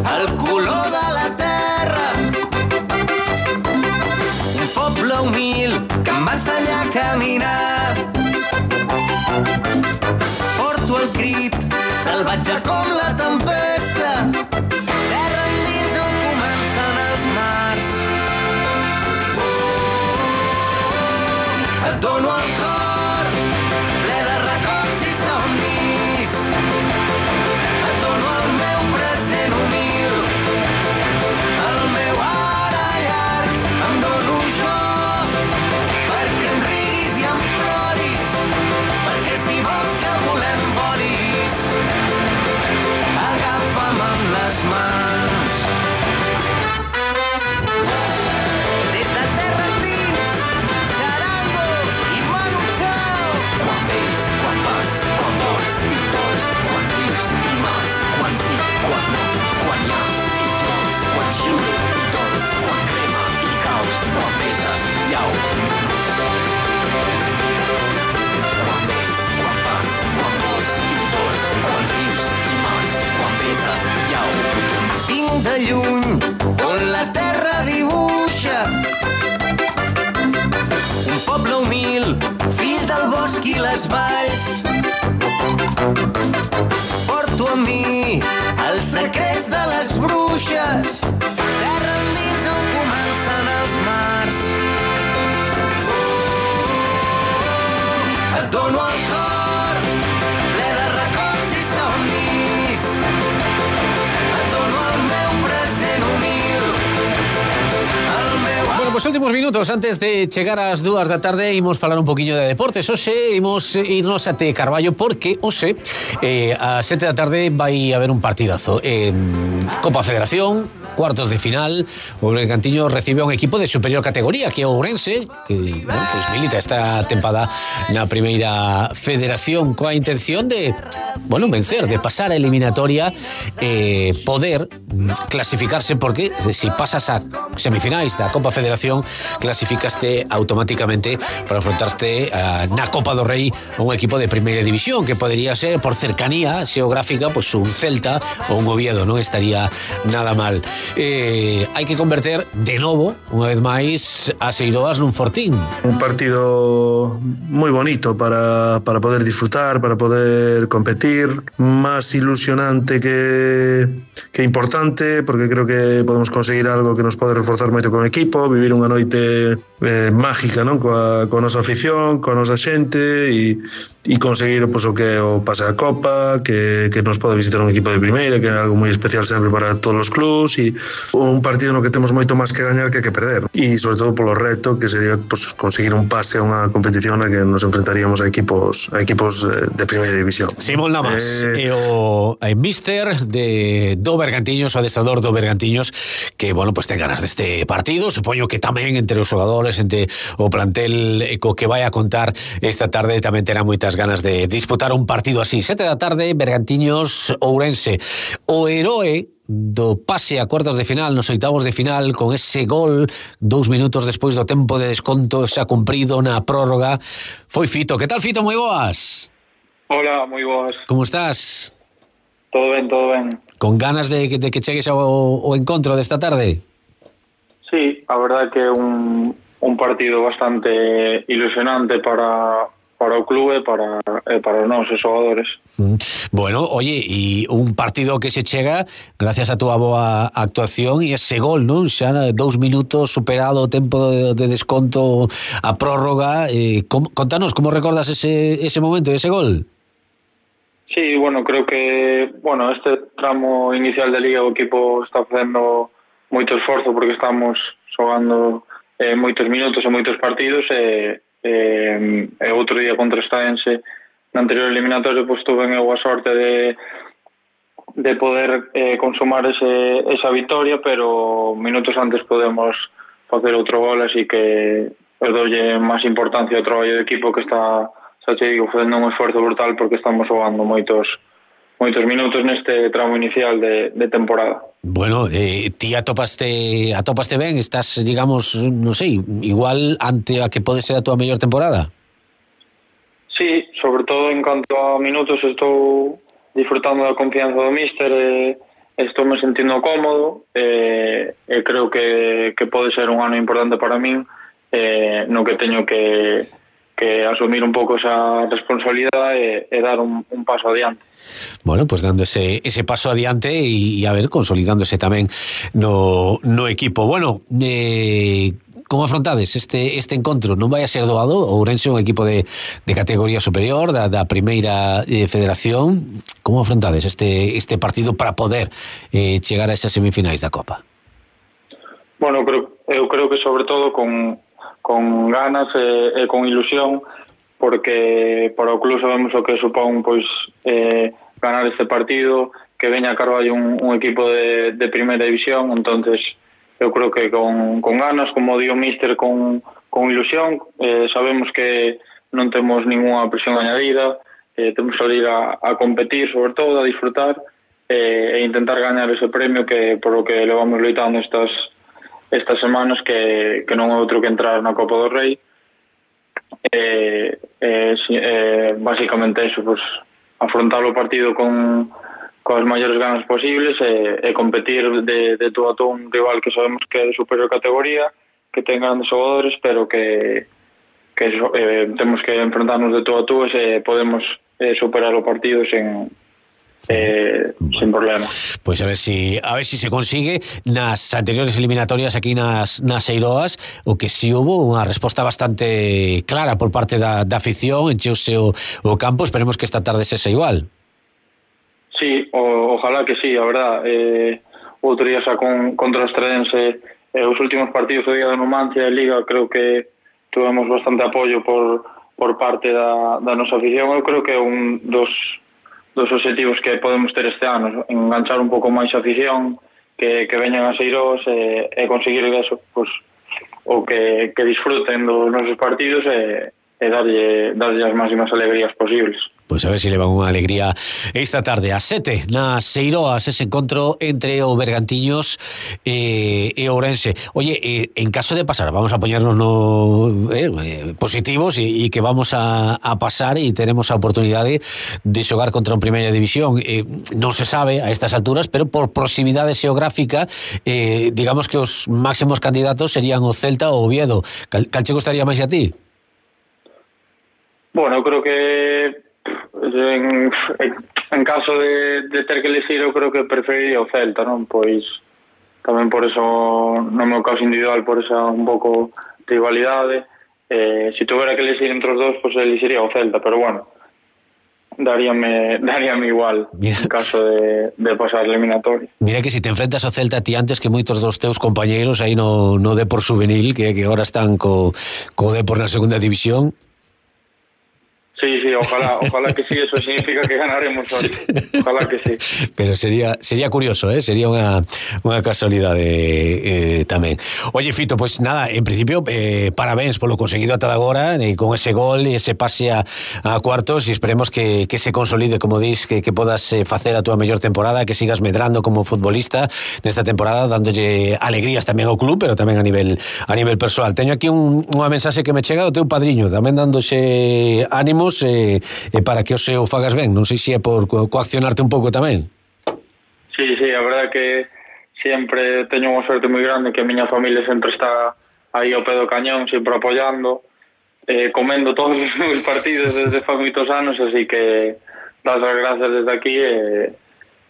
El color de la terra, un poble humil que em va ensenyar a caminar. Porto el crit, salvatge com la tempesta, terra endins on comencen els mars. Et dono el cor, ple de records i somnis. Et dono el meu present humil, el meu ara llarg. Em dono jo perquè em riguis i em ploris, perquè si vols que volem volis, agafa'm amb les mans. Des de terra endins, xarango i manu chao. Quan vens, quan vas, quan vols i vols, quan vius i mas, quan sí, quan no, quan llams i plors, quan xiule i dols, quan crema i caus, quan beses i llau. Quan vens, quan vas, quan vols i vols, quan vius i mas, quan beses i llau. Vinc de lluny, on la terra dibuixa un poble humil, fill del bosc i les valls. Porto amb mi els secrets de les bruixes, terra endins on comencen els mars. Et dono el cor, ple de records i somnis. Et dono el meu present humil, el meu... Bueno, pues últimos minutos antes de chegar ás dúas da tarde imos falar un poquinho de deportes. Hoxe imos irnos até Carballo porque hoxe eh, a sete da tarde vai haber un partidazo en Copa Federación, cuartos de final. O Bergantiños recibe a un equipo de superior categoría que é o Ourense, que bueno, pues milita esta tempada na primeira federación coa intención de, bueno, vencer, de pasar a eliminatoria, eh, poder clasificarse, porque si pasas a semifinais da Copa Federación clasificaste automáticamente para afrontarte a, na Copa do Rei a un equipo de primeira división, que podería ser por cercanía xeográfica pues un Celta ou un Oviedo, non estaría nada mal. Eh, hai que converter de novo, unha vez máis, a Seiroas nun fortín. Un partido moi bonito para, para poder disfrutar, para poder competir, máis ilusionante que, que importante, porque creo que podemos conseguir algo que nos pode reforzar moito con o equipo, vivir unha noite eh, mágica, non? Coa, coa nosa afición, coa nosa xente e, e conseguir pues, o que o pase a Copa, que, que nos pode visitar un equipo de primeira, que é algo moi especial sempre para todos os clubs, e un partido no que temos moito máis que gañar que que perder, e sobre todo polo reto que sería pues, conseguir un pase a unha competición na que nos enfrentaríamos a equipos a equipos de primeira división. Simón Lamas, eh... e o e míster de do Bergantiños, o adestrador do Bergantiños, que, bueno, pues ten ganas deste partido, supoño que tamén entre os xogadores, entre o plantel co que vai a contar esta tarde, tamén terá moitas ganas de disputar un partido así. Sete da tarde, Bergantiños Ourense. O heroe do pase a cuartos de final, nos oitavos de final, con ese gol dous minutos despois do tempo de desconto xa cumprido na prórroga, foi Fito. Que tal, Fito? Moi boas. Hola, moi boas. Como estás? Todo ben, todo ben. Con ganas de, de que chegues ao, ao encontro desta tarde? Sí, a verdade que é un, un partido bastante ilusionante para, para o clube e para, e para os nosos xogadores. Bueno, oye, e un partido que se chega gracias a túa boa actuación e ese gol, non? Xa dous minutos superado o tempo de, de desconto a prórroga, eh, com, contanos, como recordas ese, ese momento, ese gol? Sí, bueno, creo que bueno, este tramo inicial da Liga o equipo está facendo moito esforzo porque estamos xogando eh, moitos minutos e moitos partidos e, e, e outro día contra Estaense na anterior eliminatoria pois tuve eu a sorte de de poder eh, consumar ese, esa victoria, pero minutos antes podemos facer outro gol, así que eu doulle máis importancia ao traballo do equipo que está, xa te digo, facendo un esforzo brutal porque estamos xogando moitos moitos minutos neste tramo inicial de, de temporada. Bueno, eh, ti atopaste atopaste ben, estás, digamos, non sei, igual ante a que pode ser a túa mellor temporada? Sí, sobre todo en canto a minutos estou disfrutando da confianza do míster e estou me sentindo cómodo e, e creo que, que pode ser un ano importante para min eh, no que teño que que asumir un pouco esa responsabilidade e, e dar un, un paso adiante. Bueno, pues dando ese, ese paso adiante y, y a ver, consolidándose tamén no, no equipo. Bueno, eh, como afrontades este, este encontro? Non vai a ser doado? O Ourense é un equipo de, de categoría superior da, da primeira eh, federación. Como afrontades este, este partido para poder eh, chegar a esas semifinais da Copa? Bueno, creo, eu creo que sobre todo con con ganas e, e con ilusión, porque para o club sabemos o que supón pois eh, ganar este partido, que veña a Carballo un, un equipo de, de primeira división, entonces eu creo que con, con ganas, como di o míster, con, con ilusión, eh, sabemos que non temos ninguna presión añadida, eh, temos que salir a, a competir, sobre todo, a disfrutar eh, e intentar gañar ese premio que por o que levamos loitando estas estas semanas, que, que non é outro que entrar na Copa do Rei. Eh, eh, eh, basicamente eso, pues, afrontar o partido con coas maiores ganas posibles e, e competir de, de todo a todo un rival que sabemos que é de superior categoría, que ten grandes xogadores, pero que, que eh, temos que enfrentarnos de todo a todo e podemos eh, superar o partido sen Eh, bueno, sin problema. Pois a ver si a ver si se consigue. Nas anteriores eliminatorias aquí nas, nas Eiroas, o que si hubo unha resposta bastante clara por parte da, da afición, encheuse o, o campo. Esperemos que esta tarde sexa igual. Sí, o, ojalá que sí, a verdad. Eh, outro día xa con, contra o Estredense, eh, os últimos partidos do día da Numancia e Liga, creo que tuvemos bastante apoio por, por parte da, da nosa afición. Eu creo que é un dos dos objetivos que podemos ter este ano, enganchar un pouco máis a afición, que, que veñan a Seiroas e, e conseguir eso, pues, o que, que disfruten dos nosos partidos e, e darlle, darlle as máximas alegrías posibles. Pois a ver se levan unha alegría esta tarde a sete nas Seiroas, ese encontro entre o Bergantiños e, e Ourense. Oye, eh, en caso de pasar, vamos a poñernos no, eh, positivos e, e que vamos a, a pasar e teremos a oportunidade de xogar contra un primeira división. Eh, non se sabe a estas alturas, pero por proximidade xeográfica, eh, digamos que os máximos candidatos serían o Celta ou o Oviedo. Cal, cal che gustaría máis a ti? Bueno, creo que En, en caso de, de ter que elegir, eu creo que preferiría o Celta, non? Pois tamén por eso, no meu caso individual, por esa un pouco rivalidade. Eh, se tuvera que elegir entre os dos, pois elegiría o Celta, pero bueno, daríame, daríame igual. Mira, en caso de, de pasar eliminatorio. Mira que si te enfrentas ao Celta ti antes que moitos dos teus compañeiros aí no, no Depor Juvenil, que, que agora están co, co Depor na segunda división. Sí, sí, ojalá, ojalá que sí, eso significa que ganaremos hoy. Ojalá que sí. Pero sería sería curioso, ¿eh? Sería unha, unha casualidade eh, tamén. Oye, Fito, pues nada, en principio, eh, parabéns polo conseguido ata agora, eh, con ese gol e ese pase a, a cuartos, e esperemos que, que se consolide, como dis, que, que podas eh, facer a túa mellor temporada, que sigas medrando como futbolista nesta temporada, dándolle alegrías tamén ao club, pero tamén a nivel a nivel persoal. Teño aquí un, unha mensaxe que me chega do teu padriño, tamén dándose ánimos E, e para que o seu fagas ben. Non sei se é por co- coaccionarte un pouco tamén. Sí, sí, a verdade que sempre teño unha sorte moi grande, que a miña familia sempre está aí ao pé do cañón, sempre apoiando, eh, comendo todos os partidos desde fai moitos anos, así que das as grazas desde aquí e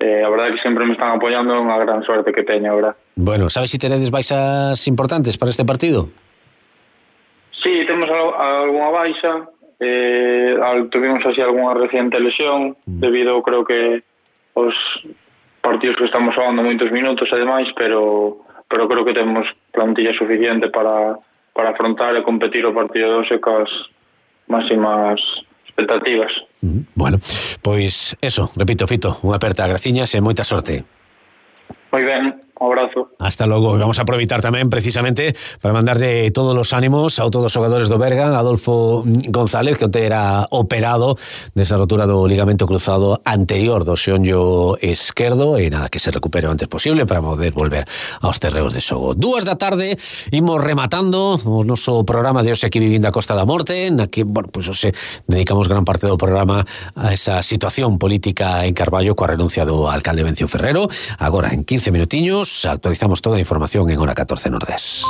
eh, a verdade que sempre me están apoiando, unha gran sorte que teño, a verdade. Bueno, sabes se si tenedes baixas importantes para este partido? Sí, temos algunha baixa, eh, tuvimos así algunha reciente lesión, mm. debido, creo que, aos partidos que estamos falando moitos minutos e demais, pero pero creo que temos plantilla suficiente para, para afrontar e competir o partido de hoxe cas máximas expectativas. Mm, bueno, pois eso, repito, Fito, unha aperta, graciñas e moita sorte. Moi ben, un abrazo. Hasta logo. Vamos a aproveitar tamén precisamente para mandarle todos os ánimos a todos os xogadores do Berga, Adolfo González, que onte era operado desa rotura do ligamento cruzado anterior do xeonllo esquerdo, e nada, que se recupere o antes posible para poder volver aos terreos de xogo. Dúas da tarde, imos rematando o noso programa de hoxe aquí vivindo a Costa da Morte, na que, bueno, pois pues, hoxe dedicamos gran parte do programa a esa situación política en Carballo coa renuncia do alcalde Vencio Ferrero. Agora, en quince minutiños, actualizamos toda a información en Hora catorce Nordés.